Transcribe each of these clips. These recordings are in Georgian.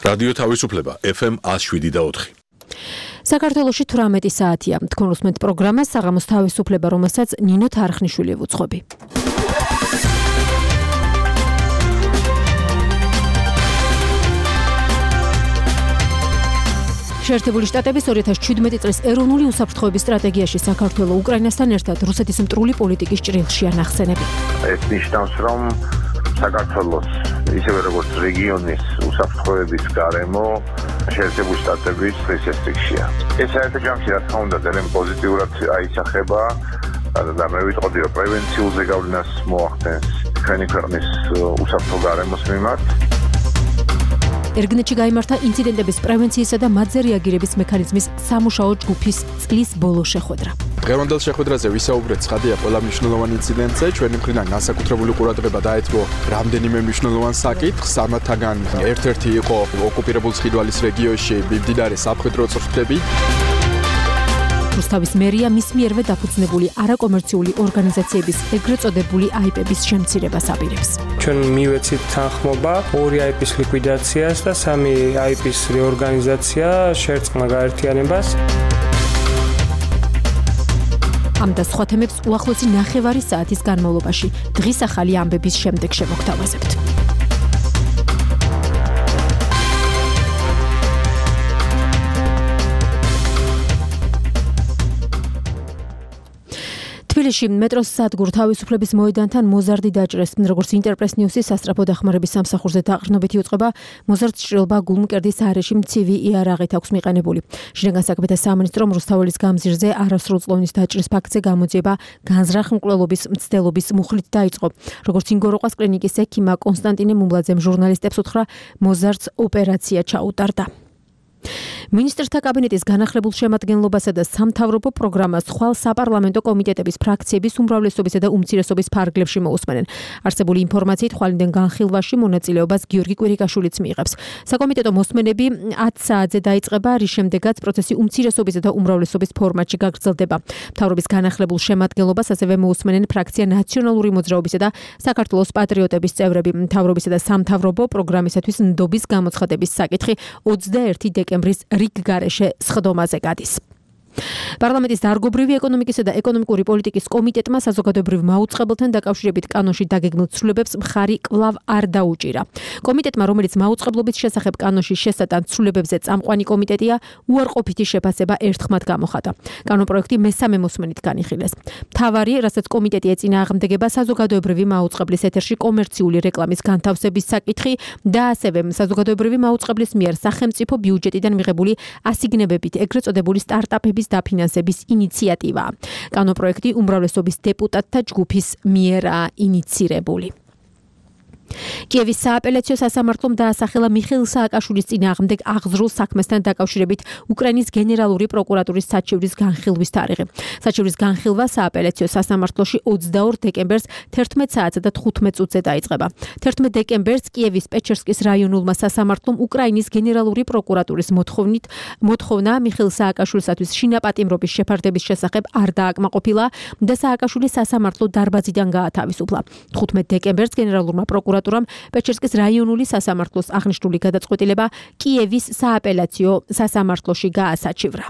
რადიო თავისუფლება FM 107.4. საქართველოში 18 საათია. თქვენ უსმენთ პროგრამას საღამოს თავისუფლება, რომელსაც ნინო თარხნიშვილი ვუძღვები. შეერთებული შტატების 2017 წლის ეროვნული უსაფრთხოების სტრატეგიაში საქართველო უკრაინასთან ერთად რუსეთის მტრული პოლიტიკის ჭრილშია ნახსენები. ეს ნიშნავს, რომ საქართველოს ისევე როგორც რეგიონის უსაფრთხოების გარემო შეერთებული შტატების წესრიგშია. ეს საერთო ჯამში რა თქმა უნდა ძალიან პოზიტიურად აისახება და მე ვიტყოდი, რომ პრევენციულ ზეგავლენას მოახდენს ჩვენი ქვეყნის უსაფრთხო გარემოს მიმართ. ერგნეთში გაიმართა ინციდენტების პრევენციისა და მათზე რეაგირების მექანიზმის სამუშაო ჯგუფის წლის ბოლო შეხვედრა. დღევანდელ შეხვედრაზე ვისაუბრეთ ცხადია ყველა მნიშვნელოვანი ინციდენტზე, ჩვენი მხრიდან განსაკუთრებული ყურადღება დაეთმო რამდენიმე მნიშვნელოვან საკითხს, ამათგან ერთ-ერთი იყო ოკუპირებულ ცხინვალის რეგიონში მიმდინარე სამხედრო წვრთნები. რუსთავის მერია მის მიერვე დაფუძნებული არაკომერციული ორგანიზაციების ეგრეთ წოდებული აიპების შემცირებას აპირებს. ჩვენ მივეცით თანხმობა 2 აიპის ლიკვიდაციას და 3 აიპის რეორგანიზაცია შერწყმა გაერთიანებას. ამ და სხვა თემებს უახლოესი 9 საათის განმავლობაში დღის ახალი ამბების შემდეგ შემოგთავაზებთ. თბილისში მეტროს სადგურ თავისუფლების მოედანთან მოზარდი დაჭრეს, როგორც ინტერპრეს ნიუსის სასწრაფო დახმარების სამსახურზე დაყრდნობითი უწყება, მოზარდს ჭრილობა გულმკერდის არეში მცივი იარაღით აქვს მიყენებული. შინაგან საქმეთა სამინისტრომ რუსთაველის გამზირზე არასრულწლოვნის დაჭრის ფაქტზე გამოძიება განზრახ-მკვლელობის მცდელობის მუხლით დაიწყო. როგორც ინგოროყვას კლინიკის ექიმა კონსტანტინე მუმლაძემ ჟურნალისტებს უთხრა, მოზარდს ოპერაცია ჩაუტარდა. მინისტრთა კაბინეტის განახლებულ შემადგენლობასა და სამთავრობო პროგრამას ხვალ საპარლამენტო კომიტეტების ფრაქციების უმრავლესობისა და უმცირესობის ფარგლებში მოусმენენ. არსებული ინფორმაციით ხვალინდენ განხილვაში მონაწილეობას გიორგი კვირიკაშვილიც მიიღებს. საკომიტეტო მოსმენები 10 საათზე დაიწყება, რის შემდეგაც პროცესი უმცირესობისა და უმრავლესობის ფორმატში გაგრძელდება. მთავრობის განახლებულ შემადგენლობას ასევე მოусმენენ ფრაქცია ნაციონალური მოძრაობისა და საქართველოს პატრიოტების წევრები. მთავრობისა და სამთავრობო პროგრამისათვის ნდობის გამოცხადების საკითხი 21 დეკემბრის რიგგარეშე სხდომაზე გადის. პარლამენტის დარგობრივი ეკონომიკისა და ეკონომიკური პოლიტიკის კომიტეტმა საზოგადოებრივ მაუწყებელთან დაკავშირებით კანონში დაგეგმილ ცვლილებებს მხარი კვლავ არ დაუჭირა. კომიტეტმა, რომელიც მაუწყებლობის შესახებ კანონში შესატან ცვლილებებზე წამყვანი კომიტეტია, უარყოფითი შეფასება ერთხმად გამოხატა. კანონპროექტი მესამე მოსმენით განიხილეს. მთავარი, რასაც კომიტეტი ეწინააღმდეგება საზოგადოებრივი მაუწყებლის ეთერში კომერციული რეკლამის განთავსების საკითხი და ასევე საზოგადოებრივი მაუწყებლის მიერ სახელმწიფო ბიუჯეტიდან მიღებული ასიგნებებით ეგრეთ წოდებული სტარტაპების დაფინანსების ინიციატივა. კანონპროექტი უმრავლესობის დეპუტატთა ჯგუფის მიერ ინიცირებული. კიევის სააპელაციო სასამართლომ დაასახელა მიხეილ სააკაშვილის წინააღმდეგ აღზრულ საქმესთან დაკავშირებით უკრაინის გენერალური პროკურატურის საჩივრის განხილვის თარიღი. საჩივრის განხილვა სააპელაციო სასამართლოში 22 დეკემბერს 11 საათსა და 15 წუთზე დაიწყება. 11 დეკემბერს კიევის პეჩერსკის რაიონულმა სასამართლომ უკრაინის გენერალური პროკურატურის მოთხოვნა მიხეილ სააკაშვილისათვის შინაპატიმრობის შეფარდების შესახებ არ დააკმაყოფილა და სააკაშვილი სასამართლო დარბაზიდან გაათავისუფლა. 15 დეკემბერს გენერალურმა პროკურატურამ პეჩერსკის რაიონული სასამართლოს აღნიშნული გადაწყვეტილება კიევის სააპელაციო სასამართლოში გაასაჩივრა.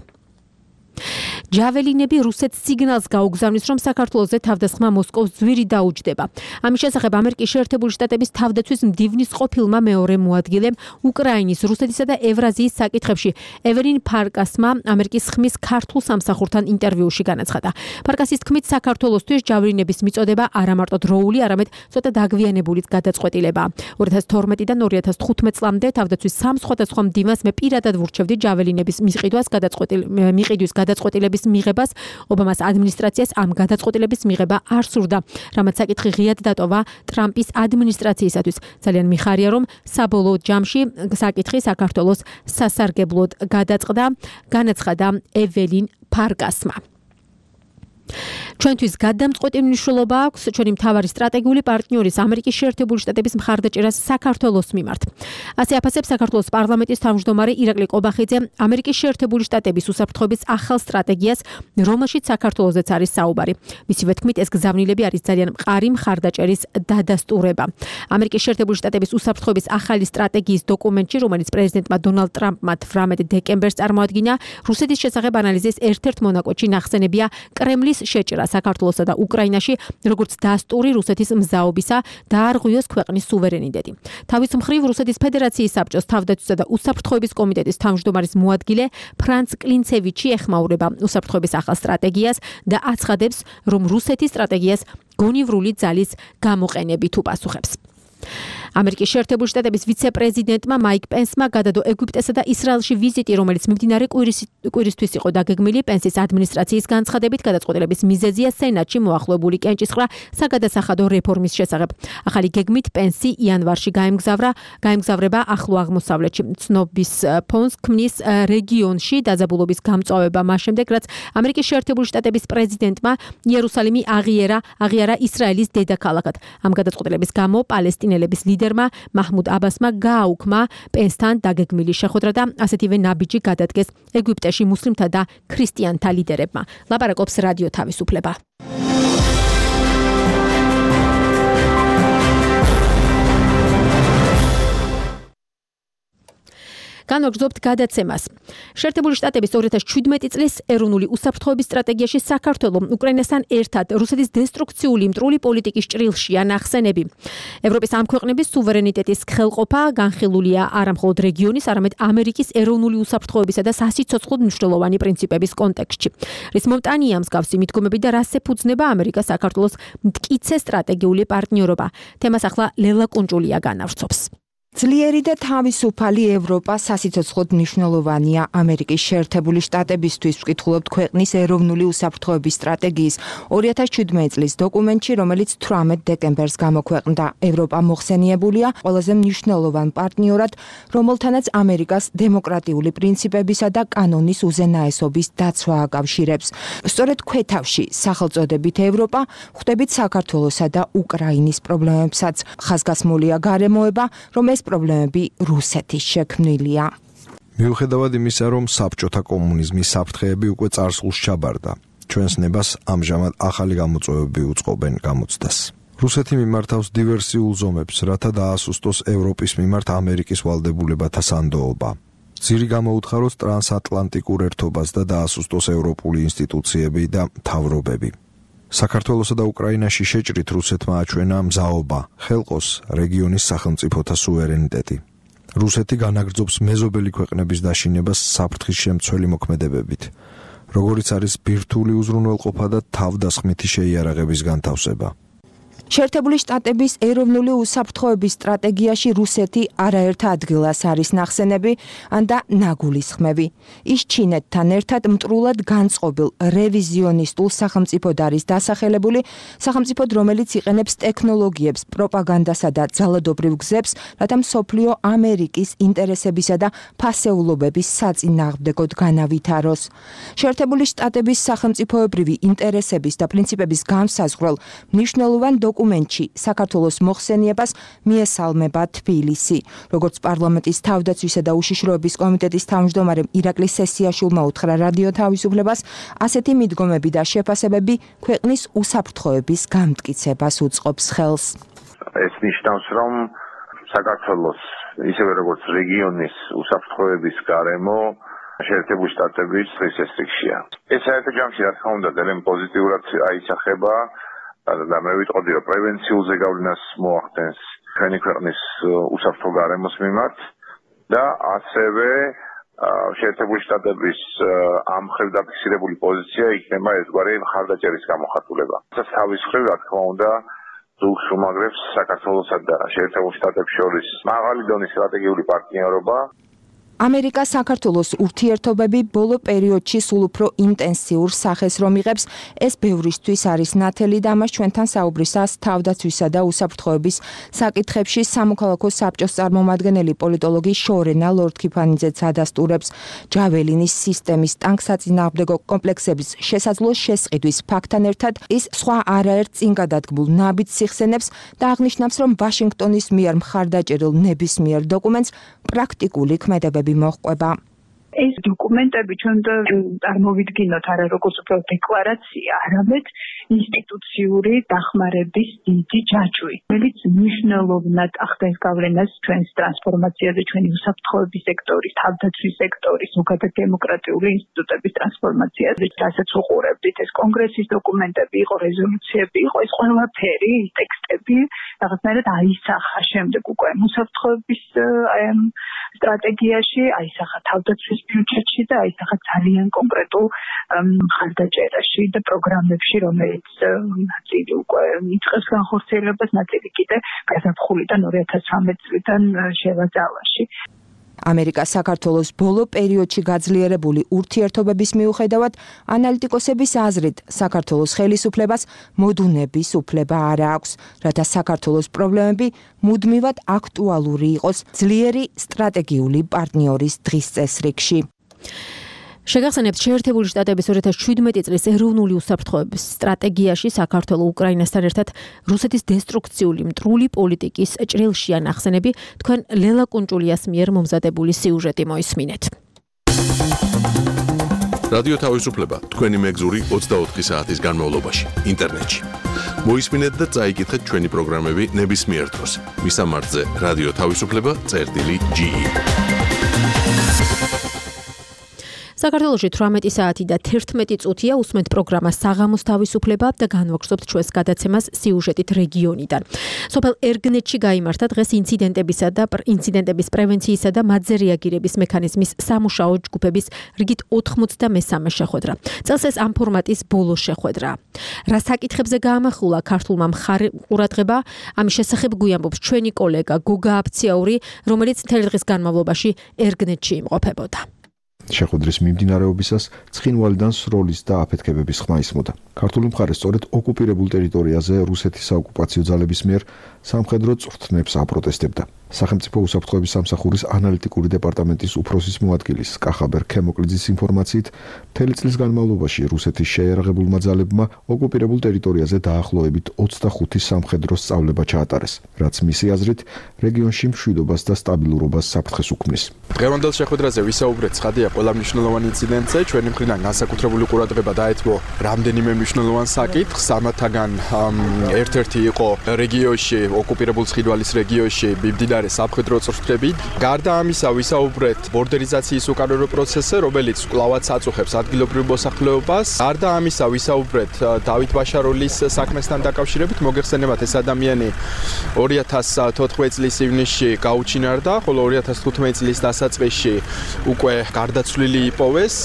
ჯაველინები რუსეთს სიგნალს გაუგზავნის, რომ საქართველოზე თავდასხმა მოსკოვს ძვირი დაუჯდება. ამის შესახებ ამერიკის შეერთებული შტატების თავდაცვის მდივნის ყოფილმა მეორე მოადგილემ უკრაინის, რუსეთისა და ევრაზიის საკითხებში ეველინ ფარკასმა ამერიკის ხმის ქართულ სამსახურთან ინტერვიუში განაცხადა. ფარკასის თქმით, საქართველოსთვის ჯაველინების მიწოდება არა მარტო დროული, არამედ ცოტა დაგვიანებულიც გადაწყვეტილებაა. 2012-დან 2015 წლამდე თავდაცვის სამ სხვადასხვა მდივანს მე პირადად ვურჩევდი ჯაველინების მიყიდვის გადაწყვეტილების მიღებას. ობამას ადმინისტრაციას ამ გადაწყვეტილების მიღება არ სურდა, რამაც საკითხი ღიად დატოვა ტრამპის ადმინისტრაციისათვის. ძალიან მიხარია, რომ საბოლოო ჯამში საკითხი საქართველოს სასარგებლოდ განაცხადა ეველინ ფარკასმა. ჩვენთვის გადამწყვეტი მნიშვნელობა აქვს ჩვენი მთავარი სტრატეგიული პარტნიორის ამერიკის შეერთებული შტატების მხარდაჭერას საქართველოს მიმართ. ასე აფასებს საქართველოს პარლამენტის თავმჯდომარე ირაკლი ყობახიძე ამერიკის შეერთებული შტატების უსაფრთხოების ახალ სტრატეგიას, რომელშიც საქართველოსაც არის საუბარი. მისივე თქმით, ეს გზავნილები არის ძალიან მყარი მხარდაჭერის დადასტურება. ამერიკის შეერთებული შტატების უსაფრთხოების ახალი სტრატეგიის დოკუმენტში, რომელიც პრეზიდენტმა დონალდ ტრამპმა 18 დეკემბერს წარმოადგინა, რუსეთის შესახებ ანალიზის ერთ-ერთ მონაკვეთში ნახსენებია კრემლის შეჭრა საქართველოსა და უკრაინაში, როგორც დასტური რუსეთის მზაობისა დაარღვიოს ქვეყნის სუვერენიტეტი. თავის მხრივ რუსეთის ფედერაციის საბჭოს თავდაცვისა და უსაფრთხოების კომიტეტის თავმჯდომარის მოადგილე ფრანც კლინცევიჩი ეხმაურება უსაფრთხოების ახალ სტრატეგიას და აცხადებს, რომ რუსეთის სტრატეგიას გონივრული ძალის გამოყენებით უპასუხებს. ამერიკის შეერთებული შტატების ვიცე-პრეზიდენტმა მაიკ პენსმა გადადო ეგვიპტესა და ისრაელში ვიზიტი, რომელიც მიმდინარე კვირისთვის იყო დაგეგმილი. პენსის ადმინისტრაციის განცხადებით, გადაწყვეტილების მიზეზია სენატში მოახლოებული კენჭისყრა საგადასახადო რეფორმის შესახებ. ახალი გეგმით პენსი იანვარში გაემგზავრება ახლო აღმოსავლეთში. ცნობის ფონს ქმნის რეგიონში დაძაბულობის გამწვავება მას შემდეგ, რაც ამერიკის შეერთებული შტატების პრეზიდენტმა იერუსალიმი აღიარა ისრაელის დედაქალაქად. ამ გადაწყვეტილების გამო პალესტინელების ლიდერმა მაჰმუდ აბასმა გააუქმა პენსთან დაგეგმილი შეხვედრა და ასეთივე ნაბიჯი გადადგეს ეგვიპტეში მუსლიმთა და ქრისტიანთა ლიდერებმა. ლაპარაკობს რადიო თავისუფლება. განვაგრძობთ გადაცემას. შეერთებული შტატების 2017 წლის ეროვნული უსაფრთხოების სტრატეგიაში საქართველოს უკრაინასთან ერთად რუსეთის დესტრუქციული მტრული პოლიტიკის ჭრილშია ნახსენები. ევროპის ამ ქვეყნების სუვერენიტეტის ხელყოფა განხილულია არა მხოლოდ რეგიონის, არამედ ამერიკის ეროვნული უსაფრთხოებისა და სასიცოცხლო მნიშვნელოვანი პრინციპების კონტექსტში. რის მომტანია მსგავსი მიდგომები და რას ეფუძნება ამერიკა საქართველოს მტკიცე სტრატეგიული პარტნიორობა. თემას ახლა ლელა კუნჭულია განავრცობს. ძლიერი და თავისუფალი ევროპა სასიცოცხლოდ მნიშვნელოვანია ამერიკის შეერთებული შტატებისთვის, ვკითხულობთ ქვეყნის ეროვნული უსაფრთხოების სტრატეგიის 2017 წლის დოკუმენტში, რომელიც 18 დეკემბერს გამოქვეყნდა. ევროპა მოხსენიებულია ყველაზე მნიშვნელოვან პარტნიორად, რომელთანაც ამერიკას დემოკრატიული პრინციპებისა და კანონის უზენაესობის დაცვა აკავშირებს. სწორედ ქვეთავში სახელწოდებით ევროპა ხვდებით საქართველოსა და უკრაინის პრობლემებსაც. ხაზგასმულია გარემოება, რომ ეს პრობლემები რუსეთის შექმნილია. მიუხედავად იმისა, რომ საბჭოთა კომუნიზმის საფრთხეები უკვე წარსულს ჩაბარდა, ჩვენს ნებას ამჟამად ახალი გამოწვევები უწყობენ გამოცდას. რუსეთი მიმართავს დივერსიულ ზომებს, რათა დაასუსტოს ევროპის მიმართ ამერიკის ვალდებულებათა სანდოობა. ძირი გამოუთხაროს ტრანსატლანტიკურ ერთობას და დაასუსტოს ევროპული ინსტიტუციები და მთავრობები. საქართველოსა და უკრაინაში შეჭრით რუსეთმა აჩვენა მზაობა, ხელყოს რეგიონის სახელმწიფოთა სუვერენიტეტი. რუსეთი განაგრძობს მეზობელი ქვეყნების დაშინებას საფრთხის შემცველი მოქმედებებით, როგორიც არის ბირთვული უზრუნველყოფა და თავდასხმითი შეიარაღების განთავსება. შეერთებული შტატების ეროვნული უსაფრთხოების სტრატეგიაში რუსეთი არაერთ ადგილას არის ნახსენები და ნაგულისხმები. ის ჩინეთთან ერთად მტრულად განწყობილ რევიზიონისტულ სახელმწიფოდ არის დასახელებული, სახელმწიფოდ, რომელიც იყენებს ტექნოლოგიებს, პროპაგანდასა და ძალადობრივ გზებს, რათა მსოფლიო ამერიკის ინტერესებისა და ფასეულობების საწინააღმდეგოდ განავითაროს. შეერთებული შტატების სახელმწიფოებრივი ინტერესების და პრინციპების განსაზღვრელ მნიშვნელოვან დოკუმენტში საქართველოს მოხსენიებას მიესალმება თბილისი. როგორც პარლამენტის თავდაცვისა და უშიშროების კომიტეტის თავმჯდომარემ ირაკლი სესიაშვილმა უთხრა რადიო თავისუფლებას, ასეთი მიდგომები და შეფასებები ქვეყნის უსაფრთხოების გამტკიცებას უწყობს ხელს. ეს ნიშნავს, რომ საქართველოს ისევე როგორც რეგიონის უსაფრთხოების გარემო შეერთებული შტატების რეესტრიქცია. ეს საერთო ჯამში რა თქმა უნდა ძალიან პოზიტიურად აისახება და მე ვიტყოდი, რომ პრევენციულ ზეგავლენას მოახდენს ჩვენი ქვეყნის უსაფრთხო გარემოს მიმართ და ასევე შეერთებული შტატების ამ მხრივ დაფიქსირებული პოზიცია იქნება ერთგვარი მხარდაჭერის გამოხატულება. ეს თავის მხრივ რა თქმა უნდა ზოგს უმაგრებს საქართველოსა და შეერთებულ შტატებს შორის მაღალი დონის სტრატეგიული პარტნიორობა. ამერიკა საქართველოს ურთიერთობები ბოლო პერიოდში სულ უფრო ინტენსიურ სახეს რომ იღებს, ეს ბევრისთვის არის ნათელი და ამას ჩვენთან საუბრისას თავდაცვისა და უსაფრთხოების საკითხებში სამოქალაქო საბჭოს წარმომადგენელი პოლიტოლოგი შორენა ლორდ-ქიფანიძეც ადასტურებს. ჯაველინის სისტემის ტანკსაწინააღმდეგო კომპლექსების შესაძლო შესყიდვის ფაქტთან ერთად ის სხვა არაერთ წინ გადადგმულ ნაბიჯს იხსენებს და აღნიშნავს, რომ ვაშინგტონის მიერ მხარდაჭერილ ნებისმიერ დოკუმენტს პრაქტიკული ქმედებები მოჰყვება. ეს დოკუმენტები ჩვენ წარმოვიდგინოთ არა როგორც უფრო დეკლარაცია, არამედ ინსტიტუციური დახმარების დიდი ჯაჭვი, რომელიც მნიშვნელოვნად ახდენს გავლენას ჩვენს ტრანსფორმაციაზე, ჩვენი უსაფრთხოების სექტორის, თავდაცვის სექტორის, ზოგადად დემოკრატიული ინსტიტუტების ტრანსფორმაციაზე, რასაც უყურებდით, ეს კონგრესის დოკუმენტები იყო, რეზოლუციები იყო, ეს ყველაფერი, ის ტექსტები რაღაცნაირად აისახა შემდეგ უკვე უსაფრთხოების სტრატეგიაში, აისახა თავდაცვის ბიუჯეტში და აისახა ძალიან კონკრეტულ მხარდაჭერაში და პროგრამებში, რომელიც ნაწილი უკვე იწყებს განხორციელებას, ნაწილი კიდე გაზაფხულიდან 2013 წლიდან შევაძალაში. ამერიკა საქართველოს ბოლო პერიოდში გაძლიერებული ურთიერთობების მიუხედავად, ანალიტიკოსების აზრით, საქართველოს ხელისუფლებას მოდუნების უფლება არ აქვს, რათა საქართველოს პრობლემები მუდმივად აქტუალური იყოს ძლიერი სტრატეგიული პარტნიორის დღის წესრიგში. შეგახსენებთ, შეერთებული შტატების 2017 წლის ეროვნული უსაფრთხოების სტრატეგიაში საქართველოს უკრაინასთან ერთად რუსეთის დესტრუქციული მტრული პოლიტიკის ჭრილშია ნახსენები, თქვენ ლელა კუნჭულიას მიერ მომზადებული სიუჟეტი მოისმინეთ. რადიო თავისუფლება თქვენი მეგზური 24 საათის განმავლობაში ინტერნეტში. მოისმინეთ და წაიკითხეთ ჩვენი პროგრამები ნებისმიერ დროს. მისამართზე რადიო თავისუფლება.ge საქართველოში 18 საათი და 11 წუთია უსმენთ პროგრამა საღამოს თავისუფლება და განვაგრძობთ ჩვენს გადაცემას სიუჟეტით რეგიონიდან. სოფელ ერგნეთში გაიმართა დღეს ინციდენტების პრევენციისა და მათზე რეაგირების მექანიზმის სამუშაო ჯგუფების რიგით 93 შეხვედრა. წელს ეს ამ ფორმატის ბოლო შეხვედრა. რა საკითხებზე გაამახვილა ქართულმა მხარყურადღება, ამის შესახებ გვიამბობს ჩვენი კოლეგა გოგა აფციაური, რომელიც მთელი დღის განმავლობაში ერგნეთში იმყოფებოდა. შეხვედრის მიმდინარეობისას ცხინვალიდან სროლის და აფეთქებების ხმა ისმოდა. ქართული მხარე სწორედ ოკუპირებულ ტერიტორიაზე რუსეთის საოკუპაციო ძალების მიერ სამხედრო წვრთნებს აპროტესტებდა. სახელმწიფო უსაფრთხოების სამსახურის ანალიტიკური დეპარტამენტის უფროსის მოადგილის კახაბერ ქემოკლიძის ინფორმაციით, მთელი წლის განმავლობაში რუსეთის შეიარაღებულმა ძალებმა ოკუპირებულ ტერიტორიაზე დაახლოებით 25 სამხედრო სწავლება ჩაატარეს, რაც მისი აზრით რეგიონში მშვიდობას და სტაბილურობას საფრთხეს უქმნის. დღევანდელ შეხვედრაზე ვისაუბრეთ ცხადია ყველა მნიშვნელოვანი ინციდენტზე, ჩვენი მხრიდან განსაკუთრებული ყურადღება დაეთმო რამდენიმე მნიშვნელოვან საკითხს, ამათაგან ერთ-ერთი იყო რეგიონში, ოკუპირებულ ცხინვალის რეგიონში მიმდინარე სამხედრო წვრთნები. გარდა ამისა ვისაუბრეთ ბორდერიზაციის უკანონო პროცესზე, რომელიც კვლავაც აწუხებს ადგილობრივ მოსახლეობას. გარდა ამისა ვისაუბრეთ დავით ბაშაროლის საქმესთან დაკავშირებით. მოგეხსენებათ, ეს ადამიანი 2014 წლის ივნისში გაუჩინარდა, ხოლო 2015 წლის დასაწყისში უკვე გარდაცვლილი იპოვეს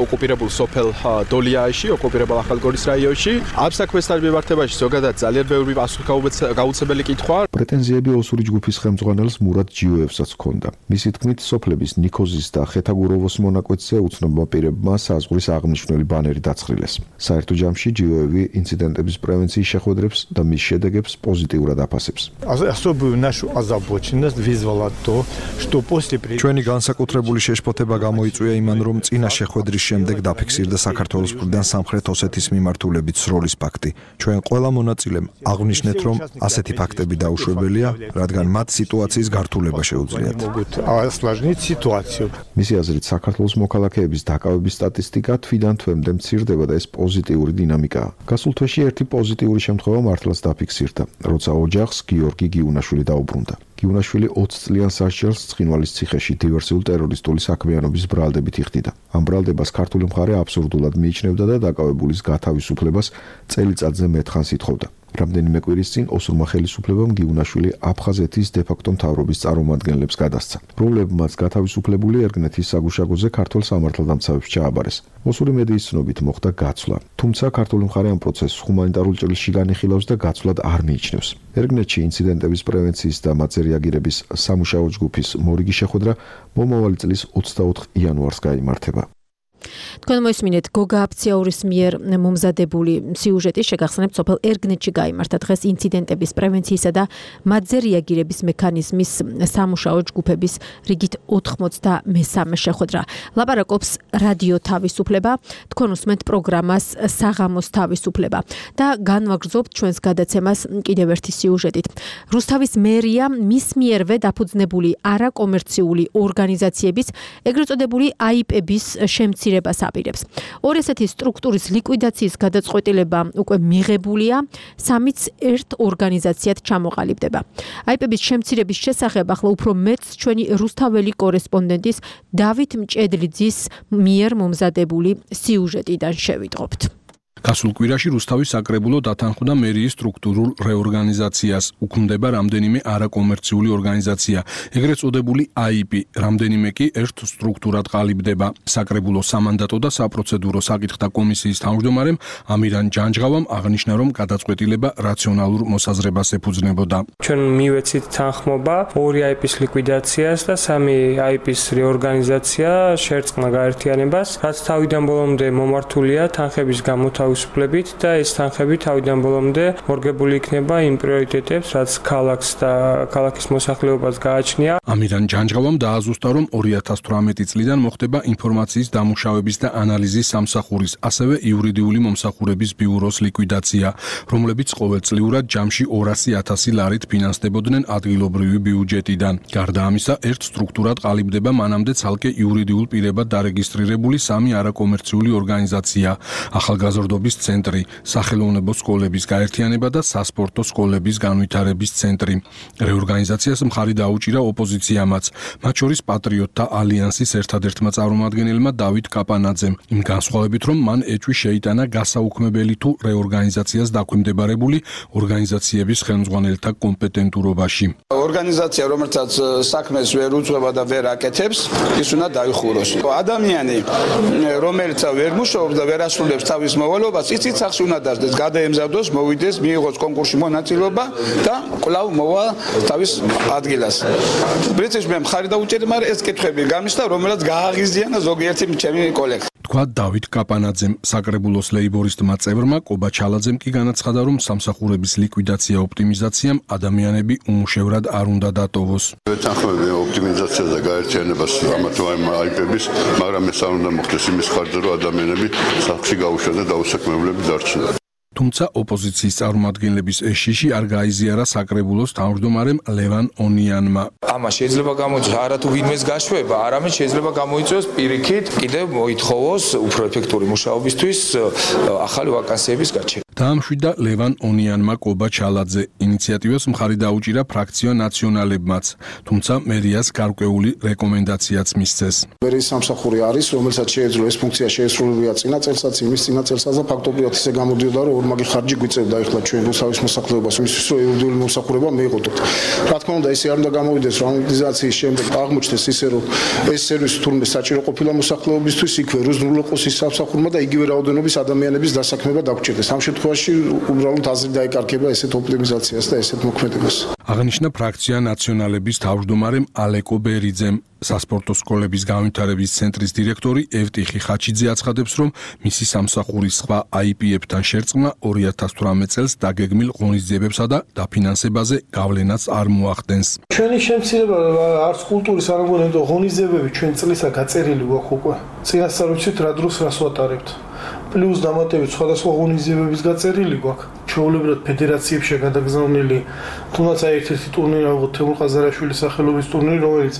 ოკუპირებულ სოფელ დოლიაში, ოკუპირებულ ახალგორის რაიონში. ამ საქმესთან მიმართებაში ზოგადად ძალიან ბევრი პასუხისმგებელი კითხვა. პრეტენზიები ოსური ჯგუფის ხელმძღვანელს მურად ჯიოევსაც ჰქონდა. მისი თქმით, სოფლების ნიქოზის და ხეთაგუროვოს მონაკვეთზე უცნობმა პირებმა საზღვრის აღნიშნული ბანერი დაცხრილეს. საერთო ჯამში ჯიოევი ინციდენტების პრევენციის შეხვედრებს და მის შედეგებს პოზიტიურად აფასებს. ჩვენი განსაკუთრებული შეშფოთება გამოიწვია იმან, რომ წინა შეხვედრის შემდეგ დაფიქსირდა საქართველოს მხრიდან სამხრეთ ოსეთის მიმართულებით სროლის ფაქტი. ჩვენ ყველა მონაწილემ აღვნიშნეთ, რომ ასეთი ფაქტები დაუშვებელია, რადგან მათ სიტუაციის გართულება შეუძლიათ. მისი აზრით, საქართველოს მოქალაქეების დაკავების სტატისტიკა თვიდან თვემდე მცირდება და ეს პოზიტიური დინამიკაა. გასულ თვეში ერთი პოზიტიური შემთხვევა მართლაც დაფიქსირდა, როცა ოჯახს გიორგი გიუნაშვილი დაუბრუნდა. გიუნაშვილი 20 წლიან სასჯელს ცხინვალის ციხეში დივერსიულ ტერორისტული საქმიანობის ბრალდებით იხდიდა. ამ ბრალდებას ქართული მხარე აბსურდულად მიიჩნევდა და დაკავებულის გათავისუფლებას წელიწადზე მეტხანს ითხოვდა. რამდენიმე კვირის წინ ოსურმა ხელისუფლებამ გიუნაშვილი აფხაზეთის დე-ფაქტო მთავრობის წარმომადგენლებს გადასცა, რომლებმაც გათავისუფლებული ერგნეთის საგუშაგოზე ქართულ სამართალდამცავებს ჩააბარეს. ოსური მედიის ცნობით მოხდა გაცვლა, თუმცა ქართული მხარე ამ პროცესს ჰუმანიტარულ ჭრილში განიხილავს და გაცვლად არ მიიჩნევს. ერგნეთში ინციდენტების პრევენციის და მათზე რეაგირების სამუშაო ჯგუფის მორიგი შეხვედრა მომავალი წლის 24 იანვარს გაიმართება. თქვენ მოისმინეთ გოგა აფციაურის მიერ მომზადებული სიუჟეტი შეგახსენებთ სოფელ ერგნეთში გაიმართა დღეს ინციდენტების პრევენციისა და მათზე რეაგირების მექანიზმის სამუშაო ჯგუფების რიგით 93 შეხვედრა. ლაპარაკობს რადიო თავისუფლება, თქვენ უსმენთ პროგრამას საღამოს თავისუფლება და განვაგრძობთ ჩვენს გადაცემას კიდევ ერთი სიუჟეტით. რუსთავის მერია მის მიერვე დაფუძნებული არაკომერციული ორგანიზაციების, ეგრეთ წოდებული აიპების შემცირებას აპირებს. ორი ასეთი სტრუქტურის ლიკვიდაციის გადაწყვეტილება უკვე მიღებულია, სამიც ერთ ორგანიზაციად ჩამოყალიბდება. აიპების შემცირების შესახებ ახლა უფრო მეტს ჩვენი რუსთაველი კორესპონდენტის დავით მჭედლიძის მიერ მომზადებული სიუჟეტიდან შევიტყობთ. გასულ კვირაში რუსთავის საკრებულო დათანხმდა მერიის სტრუქტურულ რეორგანიზაციას. უქმდება რამდენიმე არაკომერციული ორგანიზაცია, ეგრეთ წოდებული აიპი, რამდენიმე კი ერთ სტრუქტურად ყალიბდება. საკრებულო სამანდატო და საპროცედურო საკითხთა კომისიის თავმჯდომარემ ამირან ჯანჯღავამ აღნიშნა, რომ გადაწყვეტილება რაციონალურ მოსაზრებას ეფუძნებოდა. ჩვენ მივეცით თანხმობა ორი აიპის ლიკვიდაციას და სამი აიპის რეორგანიზაცია შერწყმა გაერთიანებას, რაც თავიდან ბოლომდე მომართულია თანხების გამოთავისუფლებით და ეს თანხები თავიდან ბოლომდე მორგებული იქნება იმ პრიორიტეტებს, რაც ქალაქს და ქალაქის მოსახლეობას გააჩნია. ამირან ჯანჯღავამ დააზუსტა, რომ 2018 წლიდან მოხდება ინფორმაციის დამუშავების და ანალიზის სამსახურის, ასევე იურიდიული მომსახურების ბიუროს ლიკვიდაცია, რომლებიც ყოველწლიურად ჯამში 200,000 ლარით ფინანსდებოდნენ ადგილობრივი ბიუჯეტიდან. გარდა ამისა, ერთ სტრუქტურად ყალიბდება მანამდე ცალკე იურიდიულ პირებად დარეგისტრირებული სამი არაკომერციული ორგანიზაცია: ახალგაზრდობის ცენტრი, სახელოვნებო სკოლების გაერთიანება და სასპორტო სკოლების განვითარების ცენტრი. რეორგანიზაციას მხარი დაუჭირა ოპოზიციამაც, მათ შორის პატრიოტთა ალიანსის ერთადერთმა წარმომადგენელმა დავით კაპანაძემ, იმ განსხვავებით, რომ მან ეჭვი შეიტანა გასაუქმებელი თუ რეორგანიზაციას დაქვემდებარებული ორგანიზაციების ხელმძღვანელთა კომპეტენტურობაში. ორგანიზაცია, რომელსაც საქმეს ვერ უძღვება და ვერ აკეთებს, ის უნდა დაიხუროს. ადამიანი, რომელიც ვერ მუშაობს და ვერ ასრულებს თავის მოვალეობას, იცით სახში უნდა დასდეს, გადაემზადოს, მოვიდეს, მიიღოს კონკურსში მონაწილეობა და კვლავ მოვა თავის ადგილას. პრინციპში მე მხარი დაუჭერდი, მაგრამ ეს კითხვები გამისდა, რომელსაც გააღიზიანა ზოგიერთი ჩემი კოლეგა. თქვა დავით კაპანაძემ. საკრებულოს ლეიბორისტმა წევრმა კობა ჩალაძემ კი განაცხადა, რომ სამსახურების ლიკვიდაცია ოპტიმიზაციამ ადამიანები უმუშევრად არ უნდა დატოვოს. ვეთანხმები ოპტიმიზაციას და გაერთიანებას ამათ აიპების, მაგრამ ეს არ უნდა მოხდეს იმის ხარჯზე, რომ ადამიანები სახში გაუშვან და დაუსაქმებლები დარჩნენ. თუმცა ოპოზიციის წარმომადგენლების ეს შიში არ გაიზიარა საკრებულოს თავმჯდომარემ ლევან ონიანმა. ამას შეიძლება გამოიწვიოს არა თუ ვინმეს გაშვება, არამედ შეიძლება გამოიწვიოს პირიქით კიდევ მოითხოვოს უფრო ეფექტური მუშაობისთვის ახალი ვაკანსიების გაჩენა. დაამშვიდა ლევან ონიანმა კობა ჩალაძე. ინიციატივას მხარი დაუჭირა ფრაქცია ნაციონალებმაც, თუმცა მერიას გარკვეული რეკომენდაციაც მისცეს. მერიის სამსახური არის, რომელსაც შეეძლო ეს ფუნქცია შეესრულებია წინა წელსაც, იმის წინა წელსაც და ფაქტობრივად ისე გამოდიოდა, რომ ორმაგი ხარჯი გვიწევდა ახლა ჩვენ რუსთავის მოსახლეობას, იმისთვის რომ იურიდიული მომსახურება მიიღოთ. რა თქმა უნდა, ესე არ უნდა გამოვიდეს, რომ ამორტიზაციის შემდეგ აღმოჩნდეს ისე, რომ ეს სერვისი თურმე საჭირო ყოფილა მოსახლეობისთვის, იქვე რუსულოყოს ის სამსახურმა და იგივე რაოდენობის ადამიანების დასაქმება დაგჭირდეს. ამ შემთხვევაში უბრალოდ აზრი დაეკარგება ესეთ ოპტიმიზაციას და ესეთ მოქმედებას. აღნიშნა ფრაქცია ნაციონალების თავმჯდომარემ ალეკო ბერიძემ. სასპორტო სკოლების განვითარების ცენტრის დირექტორი ევტიხი ხაჩიძე აცხადებს, რომ მისი სამსახურის სხვა აიპებთან შერწყმა 2018 წელს დაგეგმილ ღონისძიებებსა და დაფინანსებაზე გავლენას არ მოახდენს. ჩვენი შემცირება არც კულტურის არ მოგონებდა ღონისძიებები ჩვენ წლისა გაწერილი გვაქვს უკვე. წინასწარ ვიცით რა დროს რას ვატარებთ. პლუს დამატებით სხვადასხვა ღონისძიებების გაწერილი გვაქვს. ჩვეულებრივად ფედერაციებში გადაგზავნილი, თუნდაც ერთ-ერთი ტურნირი აღო თემურ ყაზარაშვილის სახელობის ტურნირი, რომელიც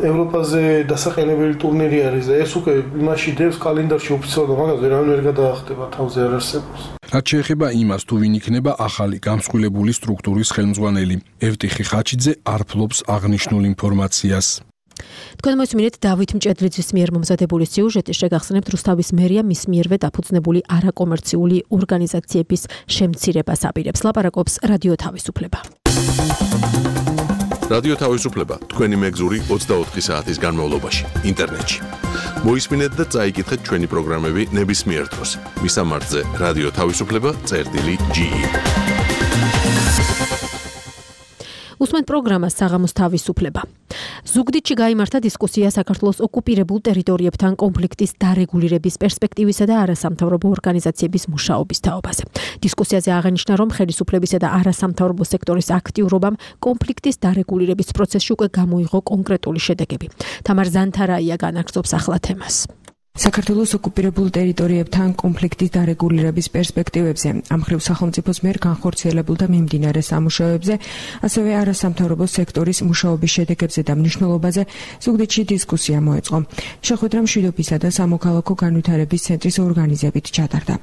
ევროპაზე დასაყენებელი ტურნირი არის და ეს უკვე იმაში დევს კალენდარში ოფიციალურად, მაგას ვერავინ ვერ გადაახტება, თავზე არ არსებობს. რაც შეეხება იმას, თუ ვინ იქნება ახალი გამსხვილებული სტრუქტურის ხელმძღვანელი, ევტიხი ხაჩიძე არ ფლობს აღნიშნულ ინფორმაციას. თქვენ მოისმინეთ დავით მჭედლიძის მიერ მომზადებული სიუჟეტი, შეგახსენებთ რუსთავის მერია მის მიერვე დაფუძნებული არაკომერციული ორგანიზაციების შემცირებას აპირებს. ლაპარაკობს რადიო თავისუფლება. რადიო თავისუფლება თქვენი მეგზური 24 საათის განმავლობაში ინტერნეტში. მოისმინეთ და წაიკითხეთ ჩვენი პროგრამები ნებისმიერ დროს. მისამართზე რადიო თავისუფლება.ge უსმენთ პროგრამას საღამოს თავისუფლება. ზუგდიდში გაიმართა დისკუსია საქართველოს ოკუპირებულ ტერიტორიებთან კონფლიქტის დარეგულირების პერსპექტივისა და არასამთავრობო ორგანიზაციების მუშაობის თაობაზე. დისკუსიაზე აღენიშნა, რომ ხელისუფლებისა და არასამთავრობო სექტორის აქტიურობამ კონფლიქტის დარეგულირების პროცესში უკვე გამოიღო კონკრეტული შედეგები. თამარ ზანთარაია განაგრძობს ახლა თემას. საქართველოს ოკუპირებულ ტერიტორიებთან კონფლიქტის დარეგულირების პერსპექტივებზე, ამ მხრივ სახელმწიფოს მიერ განხორციელებულ და მიმდინარე სამუშაოებზე, ასევე არასამთავრობო სექტორის მუშაობის შედეგებზე და მნიშვნელობაზე ზუგდიდში დისკუსია მოეწყო. შეხვედრა მშვიდობისა და სამოქალაქო განვითარების ცენტრის ორგანიზებით ჩატარდა.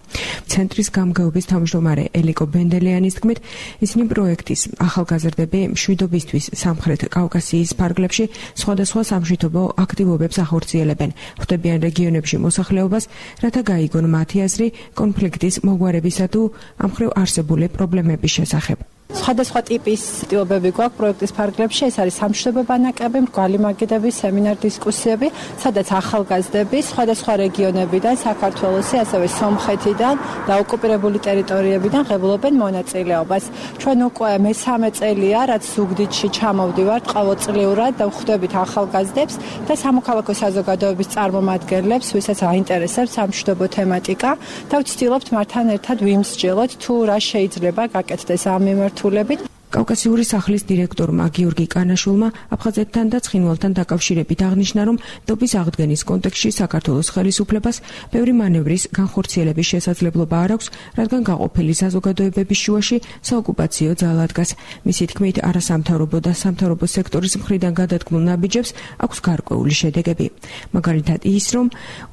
ცენტრის გამგეობის თავმჯდომარე ელიკო ბენდელიანის თქმით, ისინი პროექტის ახალგაზრდები მშვიდობისთვის სამხრეთ კავკასიის ფარგლებში სხვადასხვა სამშვიდობო აქტივობებს ახორციელებენ. ხვდებიან რეგიონებში მოსახლეობას, რათა გაიგონ მათი აზრი კონფლიქტის მოგვარებისა თუ ამ მხრივ არსებული პრობლემების შესახებ. სხვადასხვა ტიპის აქტივობები გვაქვს პროექტის ფარგლებში, ეს არის სამშვიდობო ბანაკები, მრგვალი მაგიდები, სემინარ-დისკუსიები, სადაც ახალგაზრდები სხვადასხვა რეგიონებიდან, საქართველოსი, ასევე სომხეთიდან და ოკუპირებული ტერიტორიებიდან ღებულობენ მონაწილეობას. ჩვენ უკვე მესამე წელია, რაც ზუგდიდში ჩამოვდივართ ყოველწლიურად და ვხვდებით ახალგაზრდებს და სამოქალაქო საზოგადოების წარმომადგენლებს, ვისაც აინტერესებს სამშვიდობო თემატიკა და ვცდილობთ მათთან ერთად ვიმსჯელოთ თუ რა შეიძლება გაკეთდეს ამ მიმართულებით. კავკასიური სახლის დირექტორმა გიორგი კანაშულმა აფხაზეთთან და ცხინვალთან დაკავშირებით აღნიშნა, რომ დობის აღდგენის კონტექსტში საქართველოს ხელისუფლებას ბევრი მანევრის განხორციელების შესაძლებლობა არ აქვს, რადგან გაყოფილი საზოგადოებების შუაში საოკუპაციო ძალა დგას. მისი თქმით, არასამთავრობო და სამთავრობო სექტორის მხრიდან გადადგმულ ნაბიჯებს აქვს გარკვეული შედეგები. მაგალითად ის, რომ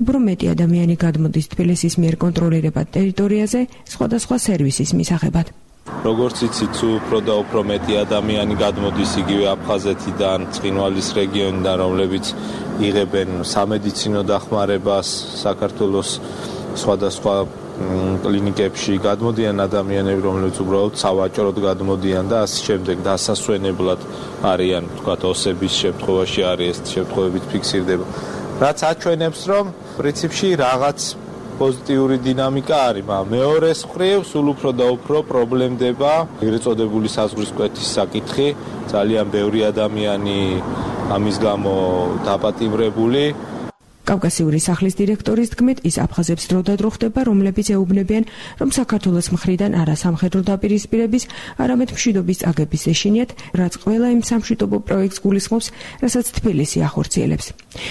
უფრო მეტი ადამიანი გადმოდის თბილისის მიერ კონტროლირებად ტერიტორიაზე სხვადასხვა სერვისის მისაღებად. როგორც იცით, უფრო და უფრო მეტი ადამიანი გადმოდის იგივე აფხაზეთიდან, ცხინვალის რეგიონიდან, რომლებიც იღებენ სამედიცინო დახმარებას საქართველოს სხვადასხვა კლინიკებში, გადმოდიან ადამიანები, რომლებიც უბრალოდ სავაჭროდ გადმოდიან და ასე შემდეგ დასასვენებლად არიან, თქვათ, ოსების შემთხვევაში არის ეს შემთხვევებით ფიქსირდება. რაც აჩვენებს, რომ პრინციპში რაღაც პოზიტიური დინამიკა არის, მაგრამ მეორეს მხრივ სულ უფრო და უფრო პრობლემდება ეგრეთ წოდებული საზღვრის კვეთის საკითხი, ძალიან ბევრი ადამიანი ამის გამო დაპატიმრებული. კავკასიური სახლის დირექტორის თქმით, ის აფხაზებს დროდადრო ხდება, რომლებიც ეუბნებიან, რომ საქართველოს მხრიდან არა სამხედრო დაპირისპირების, არამედ მშვიდობის წაგების ეშინიათ, რაც ყველა იმ სამშვიდობო პროექტს გულისხმობს, რასაც თბილისი ახორციელებს.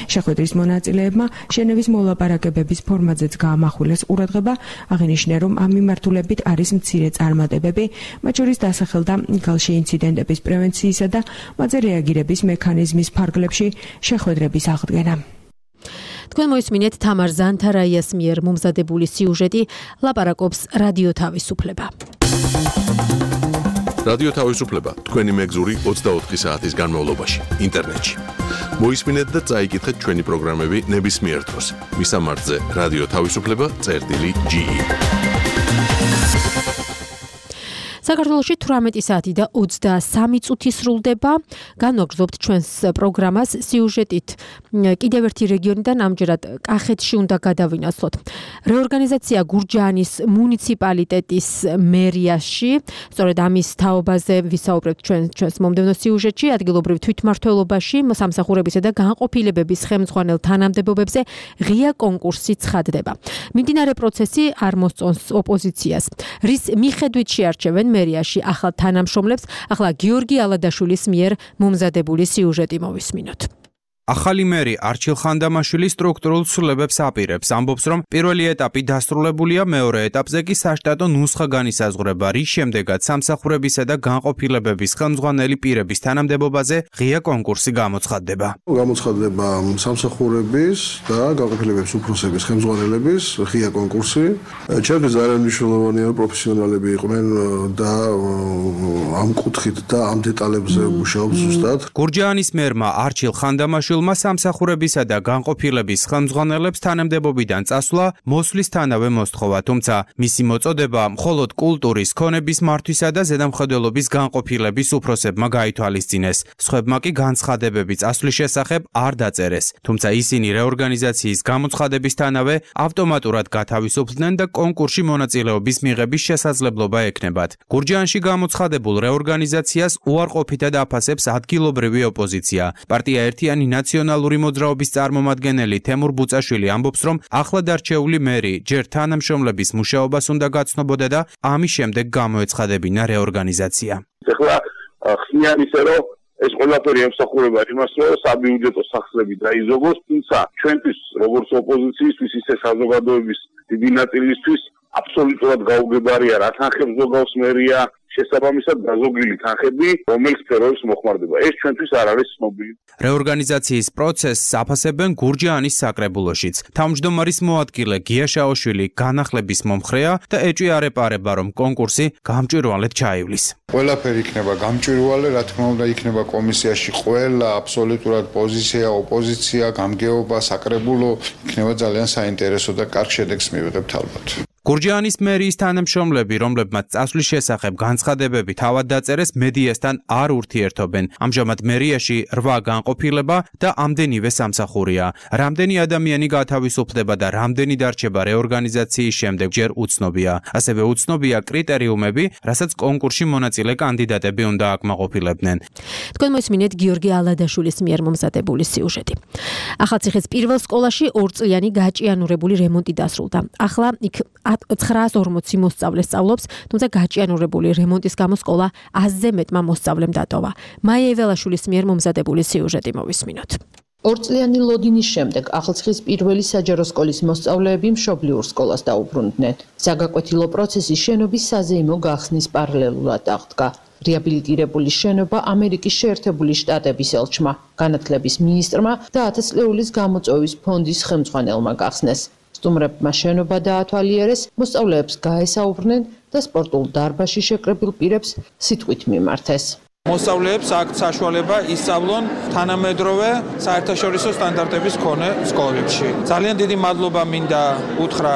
შეხვედრის მონაწილეებმა ჟენევის მოლაპარაკებების ფორმატზეც გაამახვილეს ყურადღება, აღინიშნა, რომ ამ მიმართულებით არის მცირე წარმატებები, მათ შორის დასახელდა გალში ინციდენტების პრევენციისა და მათზე რეაგირების მექანიზმის ფარგლებში შეხვედრების აღდგენა. თქვენ მოისმინეთ თამარ ზანთარაიას მიერ მომზადებული სიუჟეტი, ლაპარაკობს რადიო თავისუფლება. რადიო თავისუფლება თქვენი მეგზური 24 საათის განმავლობაში ინტერნეტში. მოისმინეთ და წაიკითხეთ ჩვენი პროგრამები ნებისმიერ დროს. მისამართზე რადიო თავისუფლება.ge საქართველოში 18 საათი და 23 წუთი სრულდება. განვაგრძობთ ჩვენს პროგრამას სიუჟეტით. კიდევ ერთი რეგიონიდან ამჯერად კახეთში უნდა გადავინაცვლოთ. რეორგანიზაცია გურჯაანის მუნიციპალიტეტის მერიაში, სწორედ ამის თაობაზე ვისაუბრებთ ჩვენს მომდევნო სიუჟეტში, ადგილობრივ თვითმმართველობაში, სამსახურებისა და განყოფილებების ხელმძღვანელ თანამდებობებზე ღია კონკურსი ცხადდება. მიმდინარე პროცესი არ მოსწონს ოპოზიციას, რის მიხედვით შეარჩევენ მერიაში ახალ თანამშრომლებს. ახლა გიორგი ალადაშვილის მიერ მომზადებული სიუჟეტი მოვისმინოთ. ახალი მერი არჩილ ხანდამაშვილი სტრუქტურულ ცვლილებებს აპირებს, ამბობს, რომ პირველი ეტაპი დასრულებულია, მეორე ეტაპზე კი საშტატო ნუსხა განისაზღვრება, რის შემდეგაც სამსახურებისა და განყოფილებების ხელმძღვანელი პირების თანამდებობაზე ღია კონკურსი გამოცხადდება. გამოცხადდება სამსახურების და განყოფილებების უფროსების ხელმძღვანელების ღია კონკურსი. ჩემთვის ძალიან მნიშვნელოვანია, რომ პროფესიონალები იყვნენ და ამ კუთხით და ამ დეტალებზე მუშაობს ზუსტად. გურჯაანის მერმა არჩილ ხანდამაშვილი მშვილმა სამსახურებისა და განყოფილების ხელმძღვანელებს თანამდებობიდან წასვლა მოსვლისთანავე მოსთხოვა, თუმცა მისი მოწოდება მხოლოდ კულტურის, ქონების მართვისა და ზედამხედველობის განყოფილების უფროსებმა გაითვალისწინეს. სხვებმა კი განცხადებები წასვლის შესახებ არ დაწერეს, თუმცა ისინი რეორგანიზაციის გამოცხადებისთანავე ავტომატურად გათავისუფლდნენ და კონკურსში მონაწილეობის მიღების შესაძლებლობა ექნებათ. გურჯაანში გამოცხადებულ რეორგანიზაციას უარყოფითად აფასებს ადგილობრივი ოპოზიცია. პარტია ერთიანი ნაციონალური მოძრაობის წარმომადგენელი თემურ ბუწაშვილი ამბობს, რომ ახლად არჩეული მერი ჯერ თანამშრომლების მუშაობას უნდა გაცნობოდა და ამის შემდეგ გამოეცხადებინა რეორგანიზაცია. ეხლა ხსნიან ისე რომ ეს ყველაფერი ემსახურება იმას, რომ საბიუჯეტო სახსრები დაიზოგოს, თუმცა ჩვენთვის როგორც ოპოზიციისთვის, ისე საზოგადოების დიდი ნაწილისთვის აბსოლუტურად გაუგებარია რა თანხებს ზოგავს მერია, შესაბამისად გაზოგილი თანხები, რომელიც სფეროებს მოხმარდება. ეს ჩვენთვის არ არის ცნობილი. რეორგანიზაციის პროცესს აფასებენ გურჯაანის საკრებულოშიც. თავმჯდომარის მოადგილე გია შაოშვილი განახლების მომხრეა და ეჭვი არ ეპარება, რომ კონკურსი გამჭვირვალედ ჩაივლის. ყველაფერი იქნება გამჭვირვალე, რა თქმა უნდა, იქნება კომისიაში ყველა აბსოლუტურად პოზიცია, ოპოზიცია, გამგეობა, საკრებულო, იქნება ძალიან საინტერესო და კარგ შედეგს მივიღებთ ალბათ. გურჯაანის მერიის თანამშრომლები, რომლებმაც წასვლის შესახებ განცხადებები თავად დაწერეს, მედიასთან არ ურთიერთობენ. ამჟამად მერიაში 8 განყოფილება და ამდენივე სამსახურია. რამდენი ადამიანი გათავისუფლდება და რამდენი დარჩება რეორგანიზაციის შემდეგ ჯერ უცნობია. ასევე უცნობია კრიტერიუმები, რასაც კონკურსში მონაწილე კანდიდატები უნდა აკმაყოფილებდნენ. თქვენ მოისმინეთ გიორგი ალადაშვილის მიერ მომზადებული სიუჟეტი. ახალციხის პირველ სკოლაში 2 წლიანი გაჭიანურებული რემონტი დასრულდა. ახლა იქ 940 მოსწავლე სწავლობს, თუმცა გაჭიანურებული რემონტის გამო სკოლა 100-ზე მეტმა მოსწავლემ დატოვა. მაია ეველაშვილის მიერ მომზადებული სიუჟეტი მოვისმინოთ. 2 წლიანი ლოდინის შემდეგ ახალციხის პირველი საჯარო სკოლის მოსწავლეები მშობლიურ სკოლას დაუბრუნდნენ. საგაკვეთილო პროცესი შენობის საზეიმო გახსნის პარალელურად აღდგა. რეაბილიტირებული შენობა ამერიკის შეერთებული შტატების ელჩმა, განათლების მინისტრმა და 1000 ლეულის გამოწვევის ფონდის ხელმძღვანელმა გახსნეს. სტუმრებმა შენობა დაათვალიერეს, მოსწავლეებს გაესაუბრნენ და სპორტულ დარბაზში შეკრებილ პირებს სიტყვით მიმართეს. მოსწავლეებს აქვთ საშუალება ისწავლონ თანამედროვე საერთაშორისო სტანდარტების მქონე სკოლებში. ძალიან დიდი მადლობა მინდა უთხრა